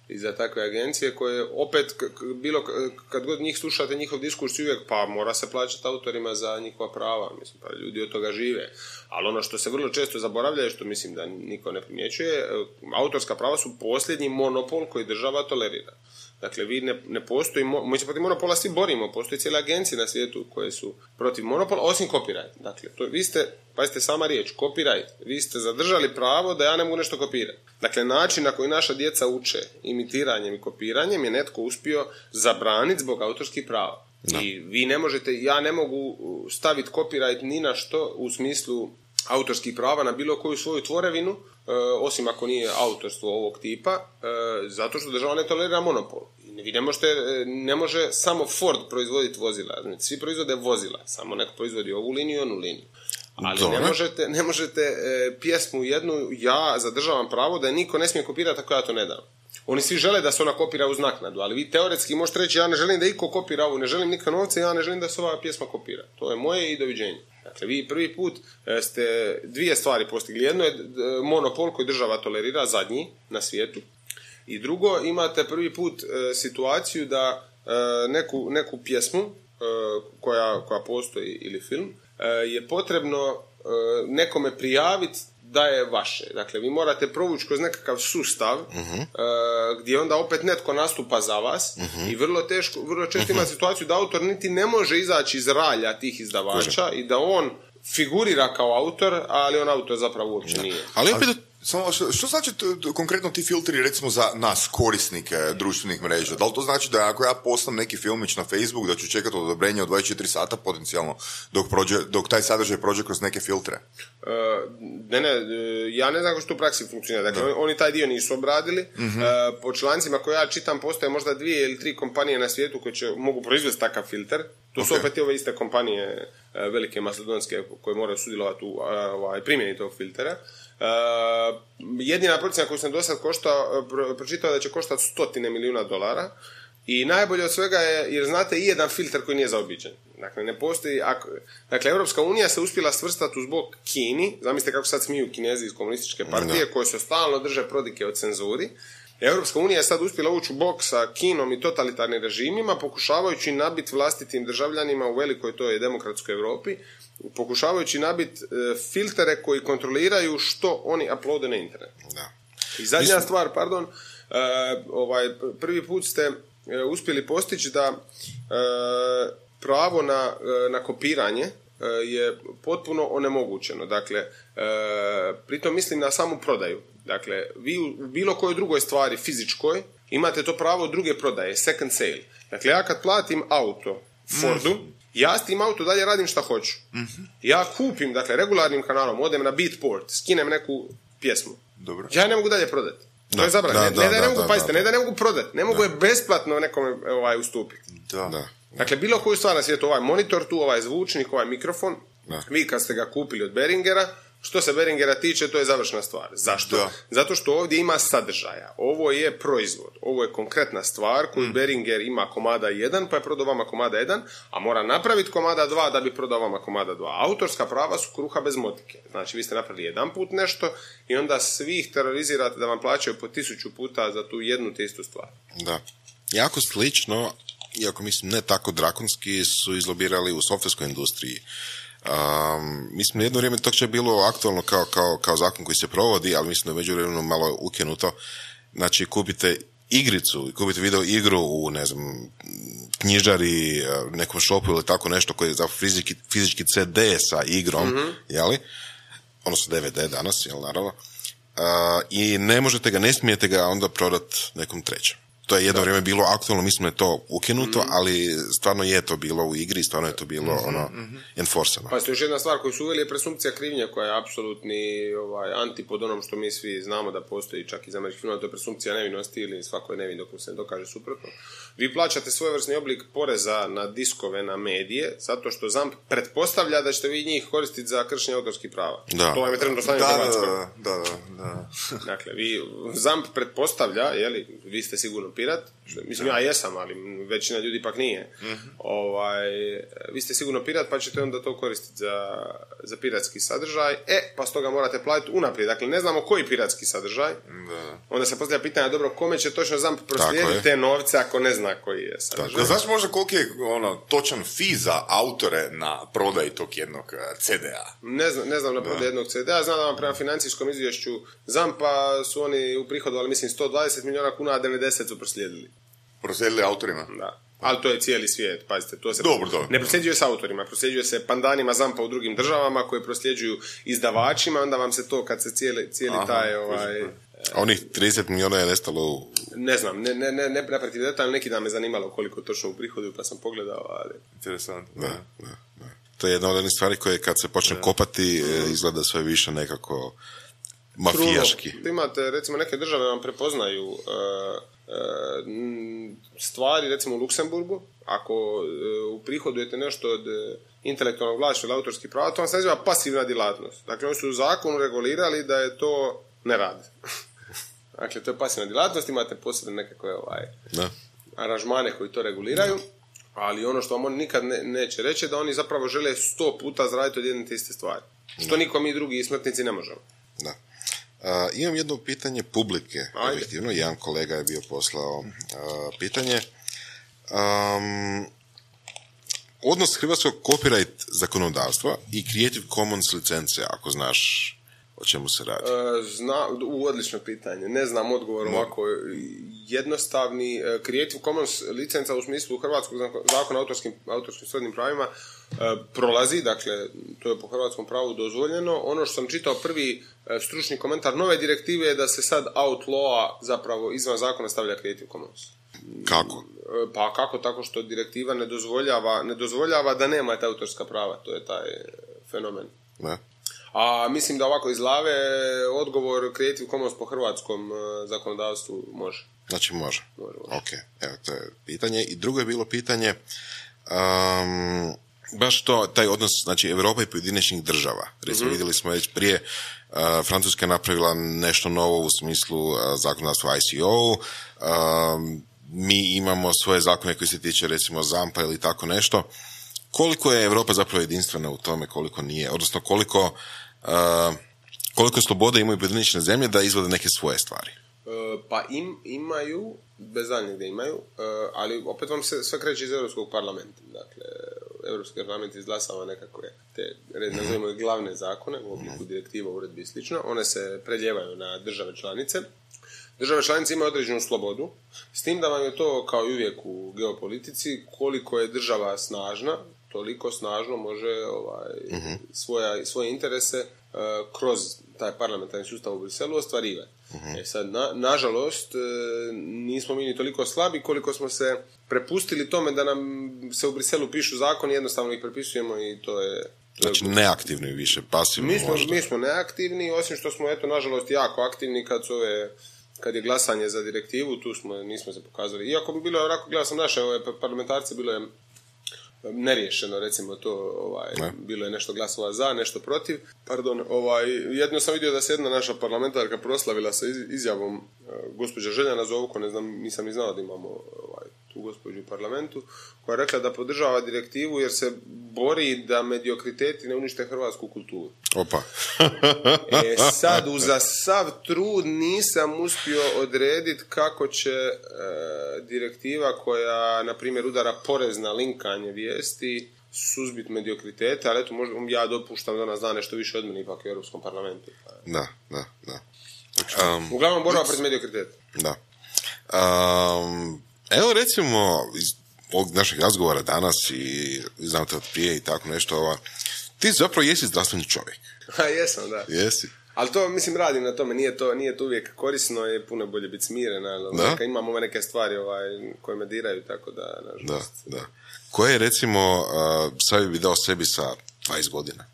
i za takve agencije koje opet, k- bilo, kad god njih slušate njihov diskurs uvijek, pa mora se plaćati autorima za njihova prava, mislim, pa ljudi od toga žive. Ali ono što se vrlo često zaboravlja, što mislim da niko ne primjećuje, autorska prava su posljednji monopol koji država tolerira. Dakle, vi ne, ne postoji, mi se protiv monopola svi borimo, postoji cijele agencije na svijetu koje su protiv monopola, osim copyright. Dakle, to, vi ste, pazite sama riječ, copyright, vi ste zadržali pravo da ja ne mogu nešto kopirati. Dakle, način na koji naša djeca uče imitiranjem i kopiranjem je netko uspio zabraniti zbog autorskih prava. Da. I vi ne možete, ja ne mogu staviti copyright ni na što u smislu autorskih prava na bilo koju svoju tvorevinu, e, osim ako nije autorstvo ovog tipa, e, zato što država ne tolerira monopol. Vi ne možete, ne može samo Ford proizvoditi vozila, znači svi proizvode vozila, samo neko proizvodi ovu liniju i onu liniju. Ali ne možete, ne možete e, pjesmu jednu, ja zadržavam pravo da je niko ne smije kopirati ako ja to ne dam. Oni svi žele da se ona kopira uz naknadu, ali vi teoretski možete reći ja ne želim da iko kopira ovu, ne želim nikakve novce, ja ne želim da se ova pjesma kopira. To je moje i doviđenje. Dakle, vi prvi put ste dvije stvari postigli. Jedno je monopol koji država tolerira, zadnji na svijetu. I drugo, imate prvi put e, situaciju da e, neku, neku pjesmu e, koja, koja postoji ili film e, je potrebno e, nekome prijaviti da je vaše. Dakle, vi morate provući kroz nekakav sustav uh-huh. uh, gdje onda opet netko nastupa za vas uh-huh. i vrlo teško, vrlo često uh-huh. ima situaciju da autor niti ne može izaći iz ralja tih izdavača Kože. I da on figurira kao autor, ali on autor zapravo uopće da. nije. Ali opet, Samo, što, što znači t, t, konkretno ti filtri recimo za nas korisnike društvenih mreža? Da li to znači da ako ja postam neki filmić na Facebook da ću čekati odobrenje od dvadeset četiri sata potencijalno dok, prođe, dok taj sadržaj prođe kroz neke filtre? Uh, ne, ne, ja ne znam kako što u praksi funkcionira. Dakle, da. Oni taj dio nisu obradili. Uh-huh. Uh, po člancima koje ja čitam postoje možda dvije ili tri kompanije na svijetu koje će, mogu proizvesti takav filter. To okay. su opet ove iste kompanije uh, velike macedonske koje moraju sudjelovati u uh, primjeni tog filtera. Uh, jedina procjena koju sam do sad koštao, pro, pročitao da će koštati stotine milijuna dolara i najbolje od svega je, jer znate, i jedan filter koji nije zaobiđen. Dakle, ne postoji, ako, dakle, Europska unija se uspjela svrstati uz bok Kini, zamislite kako sad smiju Kinezi iz komunističke partije, no. koje se stalno drže prodike o cenzuri. Europska unija je sad uspjela ući u bok sa Kinom i totalitarnim režimima, pokušavajući nabiti vlastitim državljanima u velikoj toj demokratskoj Europi, pokušavajući nabiti e, filtere koji kontroliraju što oni uploade na internet. Da. I zadnja Mislim... stvar, pardon, e, ovaj, prvi put ste e, uspjeli postići da e, pravo na, e, na kopiranje e, je potpuno onemogućeno. Dakle, e, pritom mislim na samu prodaju. Dakle, vi u bilo kojoj drugoj stvari fizičkoj imate to pravo druge prodaje, second sale. Dakle, ja kad platim auto Fordu, mm. ja s tim auto dalje radim šta hoću. Mm-hmm. Ja kupim, dakle, regularnim kanalom, odem na Beatport, skinem neku pjesmu. Dobro. Ja ne mogu dalje prodati. To je zabranjeno. Ne, ne da, da ne mogu, da, pazite, da, da. ne da ne mogu prodati, ne mogu je besplatno nekome ovaj, ustupiti. Da. Da. Dakle, bilo koju stvar na svijetu, ovaj monitor tu, ovaj zvučnik, ovaj mikrofon, da. Vi kad ste ga kupili od Behringera, što se Behringera tiče, to je završna stvar. Zašto? Da. Zato što ovdje ima sadržaja. Ovo je proizvod. Ovo je konkretna stvar koju mm. Behringer ima komada jedan, pa je prodao vama komada jedan, a mora napraviti komada dva da bi prodao vama komada dva. Autorska prava su kruha bez motike. Znači, vi ste napravili jedan put nešto i onda svih terorizirate da vam plaćaju po tisuću puta za tu jednu te istu stvar. Da. Jako slično, iako mislim ne tako drakonski, su izlobirali u softverskoj industriji. Um, mislim, jedno vrijeme to je bilo aktualno kao, kao, kao zakon koji se provodi, ali mislim da je međuvremenu malo ukinuto. Znači, kupite igricu, kupite video igru u, ne znam, knjižari, nekom shopu ili tako nešto koji je za fizički, fizički ce de sa igrom, mm-hmm. jeli? Odnosno de ve de danas, jel, naravno. Uh, I ne možete ga, ne smijete ga onda prodati nekom trećem. To je jedno da. vrijeme bilo aktualno, mislim da je to ukinuto, mm-hmm. ali stvarno je to bilo u igri, stvarno je to bilo mm-hmm. ono, mm-hmm. enforceno. Pa još jedna stvar koju su uveli je presumpcija krivnje, koja je apsolutni ovaj, antipod onom što mi svi znamo da postoji čak iz američkih filmova, to je presumpcija nevinosti ili svako je nevin dok mu se ne dokaže suprotno. Vi plaćate svojevrsni oblik poreza na diskove, na medije, zato što ZAMP pretpostavlja da ćete vi njih koristiti za kršenje autorskih prava. Da. To vam je trenutno stanje u Hrvatskoj. Da, da, da. Dakle, vi, ZAMP pretpostavlja, jeli, vi ste sigurno pirat, što, mislim ja jesam, ali većina ljudi ipak nije. Mm-hmm. Ovaj, vi ste sigurno pirat, pa ćete onda to koristiti za, za piratski sadržaj. E, pa stoga morate platiti unaprijed. Dakle, ne znamo koji piratski sadržaj. Da. Onda se postavlja pitanje, dobro, kome će točno ZAMP proslijediti te novce ako ne zna koji je sadržaj. Znaš možda koliki je ono, točan fee za autore na prodaj tog jednog ce de a? Ne znam, ne znam na prodaj jednog ce de a. Znam da vam prema financijskom izvješću ZAMP-a su oni uprihodovali, mislim, sto dvadeset milijuna kuna, a devedeset su proslijedili. Proslijedili autorima? Da. Ali to je cijeli svijet, pazite. To se dobro, dobro. Ne prosljeđuje se autorima, prosljeđuje se pandanima ZAMP-a u drugim državama koji prosljeđuju izdavačima, onda vam se to, kad se cijeli, cijeli Aha, taj... Ovaj, a onih trideset milijuna je nestalo u... Ne znam, ne, ne, ne, ne pratim detalj, neki dan me zanimalo koliko točno u prihodu, pa sam pogledao, ali... Interesantno. Da, da, da. To je jedna od onih stvari koje kad se počne da. kopati, mm. izgleda sve više nekako mafijaški. Truno. Imate, recimo, neke države vam prepoznaju uh, uh, stvari, recimo u Luksemburgu, ako uh, uprihodujete nešto od uh, intelektualnog vlasništva ili autorskih prava, to vam se naziva pasivna djelatnost. Dakle, oni su u zakonu regulirali da je to ne rad. Dakle, to je pasivna djelatnost, imate posebne nekakve ovaj, aranžmane koji to reguliraju, ali ono što vam oni nikad ne, neće reći da oni zapravo žele sto puta zaraditi od jedne te iste stvari. Što niko mi drugi smrtnici ne možemo. Da. Uh, imam jedno pitanje publike. Objektivno, jedan kolega je bio poslao uh, pitanje. Um, odnos hrvatskog copyright zakonodavstva i Creative Commons licence, ako znaš o čemu se radi? E, zna, u, odlično pitanje. Ne znam odgovor ovako jednostavni. Creative Commons licenca u smislu hrvatskog zakona o autorskim, autorskim srodnim pravima e, prolazi, dakle, to je po hrvatskom pravu dozvoljeno. Ono što sam čitao prvi e, stručni komentar nove direktive je da se sad outlaw zapravo izvan zakona stavlja Creative Commons. Kako? E, pa kako? Tako što direktiva ne dozvoljava, ne dozvoljava da nema ta autorska prava. To je taj fenomen. Ne? A mislim da ovako iz glave odgovor Creative Commons po hrvatskom uh, zakonodavstvu može. Znači može. Može, može. Ok, evo to je pitanje. I drugo je bilo pitanje um, baš to, taj odnos, znači Europa i pojedinačnih država. Recimo mm-hmm. vidjeli smo već prije uh, Francuska je napravila nešto novo u smislu uh, zakonodavstva I C O. Um, mi imamo svoje zakone koji se tiče recimo zampa ili tako nešto. Koliko je Europa zapravo jedinstvena u tome, koliko nije, odnosno koliko, uh, koliko slobode imaju pojedinačne zemlje da izvode neke svoje stvari? Uh, pa im, imaju, bez daljnjeg da imaju, uh, ali opet vam se sve kreće iz Europskog parlamenta. Dakle, Europski parlament izglasava nekakve te, nazovimo ih glavne zakone u obliku direktiva, uredbi i slično. One se preljevaju na države članice. Države članice imaju određenu slobodu, s tim da vam je to, kao i uvijek u geopolitici, koliko je država snažna, toliko snažno može ovaj, uh-huh. svoja, svoje interese uh, kroz taj parlamentarni sustav u Briselu ostvarivati. Uh-huh. E sad, na, nažalost, uh, nismo mi ni toliko slabi koliko smo se prepustili tome da nam se u Briselu pišu zakoni, jednostavno ih prepisujemo i to je... Znači neaktivni više, pasivni mi smo, možda. Mi smo neaktivni, osim što smo, eto, nažalost, jako aktivni kad su ove... Kad je glasanje za direktivu, tu smo, nismo se pokazali. Iako bi bilo, onako gledao sam naše ove parlamentarce, bilo je neriješeno, recimo to, ovaj, ne. Bilo je nešto glasova za, nešto protiv. Pardon, ovaj, jedno sam vidio da se jedna naša parlamentarka proslavila sa izjavom uh, gospođa Željana Zovko, ne znam, nisam ni znao da imamo ovaj, tu gospođu u parlamentu, koja je rekla da podržava direktivu jer se bori da mediokriteti ne unište hrvatsku kulturu. Opa. E sad, uza sav trud nisam uspio odrediti kako će e, direktiva koja, na primjer, udara porez na linkanje vijesti suzbiti mediokritete, ali eto, možda ja dopuštam da ona zna nešto više od mene ipak u Europskom parlamentu. Da, da, da. Um, Uglavnom borba protiv mediokriteta. Da. Um, evo recimo iz ovog našeg razgovora danas i znam te od prije i tako nešto, ova, ti zapravo jesi zdravstveni čovjek. Ha, jesam, da. Jesi. Ali to, mislim, radim na tome, nije to, nije to uvijek korisno, je puno bolje biti smiren, ali neka, imam ove neke stvari ovaj, koje me diraju, tako da, nažalost. Da, da. Koje, recimo, uh, savjet bi dao sebi sa dvadeset godina?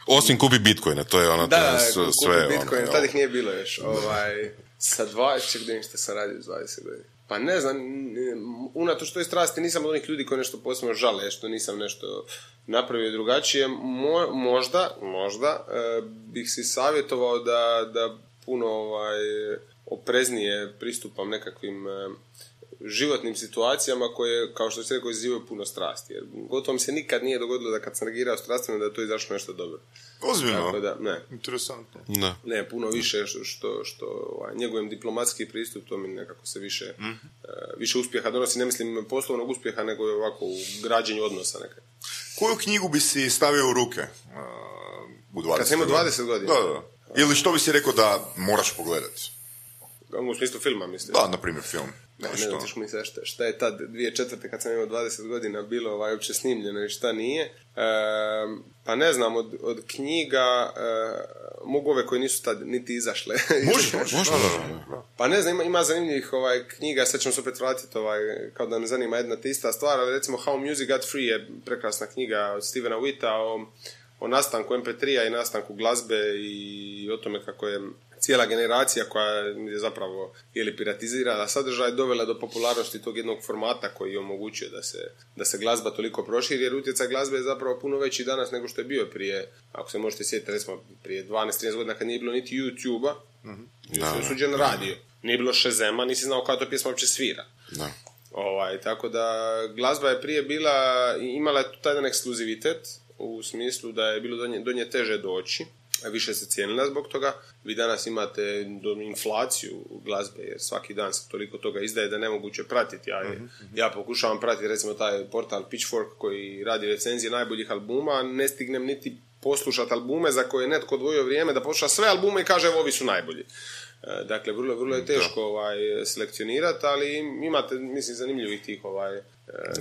Osim kupi bitcoine, to je ono, da, to je s, kupi sve bitcoine, ono. Tad ih nije bilo još. Ovaj, sa dvadeset, gdje što sam radio s dvadeset godina. Pa ne znam, unatoč toj strasti nisam od onih ljudi koji nešto posebno žale, što nisam nešto napravio drugačije. Mo, možda, možda e, bih si savjetovao da, da puno ovaj, opreznije pristupam nekakvim e, životnim situacijama koje, kao što se rekao, izazivaju puno strasti. Jer gotovo mi se nikad nije dogodilo da kad sam reagirao strastveno da je to izašlo nešto dobro. Ozbiljno? Da, ne. Interesantno. Ne. ne, puno više što, što, što ovaj, njegujem diplomatski pristup, to mi nekako se više, mm. uh, više uspjeha donosi, ne mislim poslovnog uspjeha, nego je ovako u građenju odnosa nekako. Koju knjigu bi si stavio u ruke uh, u dvadeset Kad sam imao dvadeset godina? Da, da. Ili što bi si rekao da moraš pogledati? U smislu filma, mislim. Da, na primjer film. Ne, ne znam, tiš mi se šta, šta je tad dvije tisuće četvrte kad sam imao dvadeset godina bilo ovaj, uopće snimljeno i šta nije. E, pa ne znam, od, od knjiga e, mogu ove koje nisu tad niti izašle. Može, može, može. Pa ne znam, ima, ima zanimljivih ovaj, knjiga, sad ćemo se opet vratiti, ovaj, kao da me zanima jedna te ista stvar, ali recimo How Music Got Free je prekrasna knjiga od Stevena Witta o, o nastanku em pe tri-a i nastanku glazbe i o tome kako je cijela generacija koja je zapravo ili piratizirala sadržaj dovela do popularnosti tog jednog formata koji je omogućio da se, da se glazba toliko proširi, jer utjecaj glazbe je zapravo puno veći danas nego što je bio prije, ako se možete sjetiti, recimo prije dvanaest trinaest godina kad nije bilo niti YouTube-a, mm-hmm. je suđen radio. Nije bilo Shazama, nisi znao kada to pjesma uopće svira. Da. Ovaj, tako da glazba je prije bila, imala je taj jedan ekskluzivitet u smislu da je bilo do nje, do nje teže doći, a više se cijenila zbog toga. Vi danas imate inflaciju glazbe, jer svaki dan se toliko toga izdaje da je nemoguće pratiti. Ja, mm-hmm. ja pokušavam pratiti recimo taj portal Pitchfork koji radi recenzije najboljih albuma, ne stignem niti poslušati albume za koje je netko odvojio vrijeme da posluša sve albume i kaže evo ovi su najbolji. Dakle, vrlo, vrlo je teško ovaj, selekcionirati, ali imate, mislim, zanimljivih tih ovaj,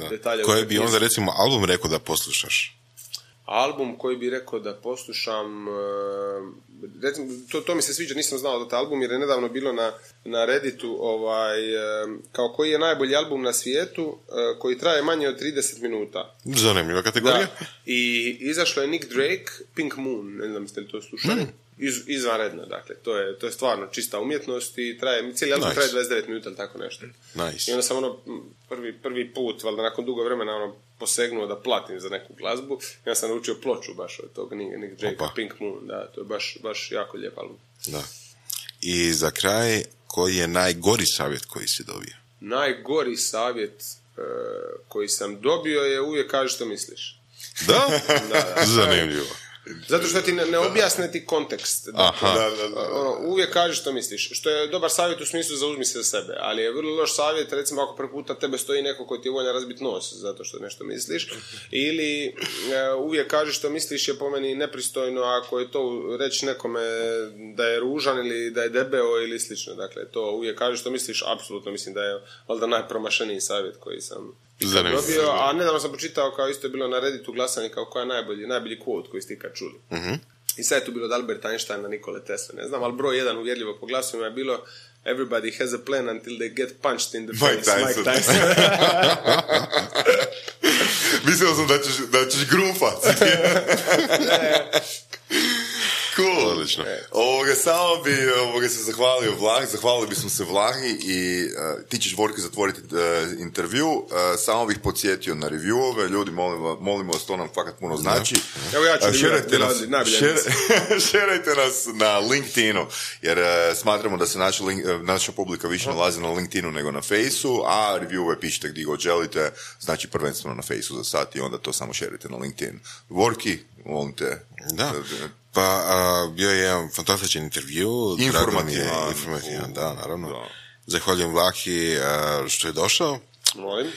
detalja. Koje bi onda, recimo, album rekao da poslušaš? Album koji bi rekao da poslušam, recimo, to, to mi se sviđa, nisam znao da taj album, jer je nedavno bilo na, na Redditu ovaj, kao koji je najbolji album na svijetu, koji traje manje od trideset minuta. Zanimljiva kategorija. Da. I izašlo je Nick Drake, Pink Moon, ne znam ste li to slušali. Mm. Iz, izvanredno, dakle, to je, to je stvarno čista umjetnost i traje, cijeli album nice. Traje dvadeset devet minuta ili tako nešto. Nice. I onda sam ono, prvi, prvi put, valjda nakon dugo vremena, ono, posegnuo da platim za neku glazbu. Ja sam naučio ploču baš od tog Nick Drake, Pink Moon, da, to je baš, baš jako lijep album. Da. I za kraj, koji je najgori savjet koji si dobio? Najgori savjet uh, koji sam dobio je uvijek kaži što misliš. Da? da, da. Zanimljivo. Zato što ti ne, ne objasne ti kontekst. Dakle, da, da, da. Ono, uvijek kažeš što misliš. Što je dobar savjet u smislu zauzmi se za sebe, ali je vrlo loš savjet, recimo ako prvi puta tebe stoji neko koji ti je voljan razbiti nos zato što nešto misliš, ili e, uvijek kažeš što misliš je po meni nepristojno ako je to reći nekome da je ružan ili da je debeo ili slično. Dakle, to uvijek kažeš što misliš, apsolutno mislim da je valjda najpromašeniji savjet koji sam dobio, a nedavno sam počitao kao isto je bilo na Redditu glasanje kao koja je najbolji, najbolji quote koji ste ikad čuli. Uh-huh. I sad je tu bilo od Alberta Einsteina, Nikole Tesla, ne znam, ali broj jedan uvjerljivo po glasovima je bilo everybody has a plan until they get punched in the face. Mike Tyson. Mike Tyson. Mislio sam da ćeš, da ćeš grufat. Cool. Odlično. Ovoga, samo bi ovoga, se zahvalio Vlahi, zahvalili bismo se Vlahi i uh, ti ćeš Vorke zatvoriti uh, intervju. Uh, samo bih podsjetio na reviewove. Ljudi, molimo, molimo vas, to nam fakat puno znači. Evo ja ću uh, šerajte, nas, šer, šerajte nas na LinkedInu, jer uh, smatramo da se naša, link, uh, naša publika više nalazi na LinkedInu nego na Faceu, a reviewove pišite gdje god želite, znači prvenstveno na Faceu za sad i onda to samo šerajte na LinkedIn. Vorki, molim te. Da. Pa a, bio je jedan fantastičan intervju. Informativan. Informativan, da, naravno. Da. Zahvaljujem Vlahi a, što je došao. Molim.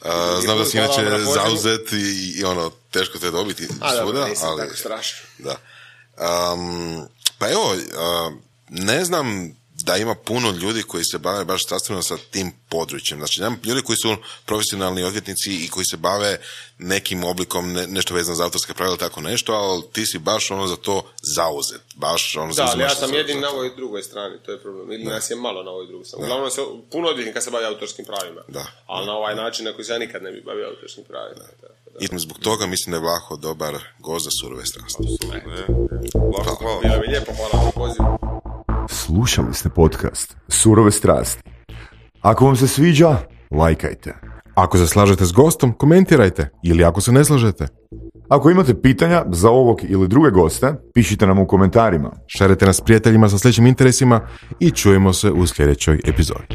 A, znam da si inače zauzet i, i ono, teško te dobiti a, svuda. Da, nisam ali, tako strašno. Da. Um, pa evo, a, ne znam da ima puno ljudi koji se bave baš sastavno sa tim područjem. Znači, nema ljudi koji su profesionalni odvjetnici i koji se bave nekim oblikom, ne, nešto vezano za autorske pravila, tako nešto, ali ti si baš ono za to zauzet. Baš ono da, ali ja sam jedin na ovoj drugoj strani, to je problem. Ili nas je malo na ovoj drugoj strani. Uglavnom se puno odvjetnika se bavi autorskim pravima. Da. Ali na ovaj način na koji se ja nikad ne bi bavio autorskim pravima. Da. Da. I zbog toga mislim da je Vlaho dobar gost za Surove strasti. Vlaho, hvala. Bilo mi lijepo, hvala na pozivu. Slušali ste podcast Surove strasti. Ako vam se sviđa, lajkajte. Ako se slažete s gostom, komentirajte. Ili ako se ne slažete. Ako imate pitanja za ovog ili druge goste, pišite nam u komentarima. Šerite nas s prijateljima sa sličnim interesima i čujemo se u sljedećoj epizodi.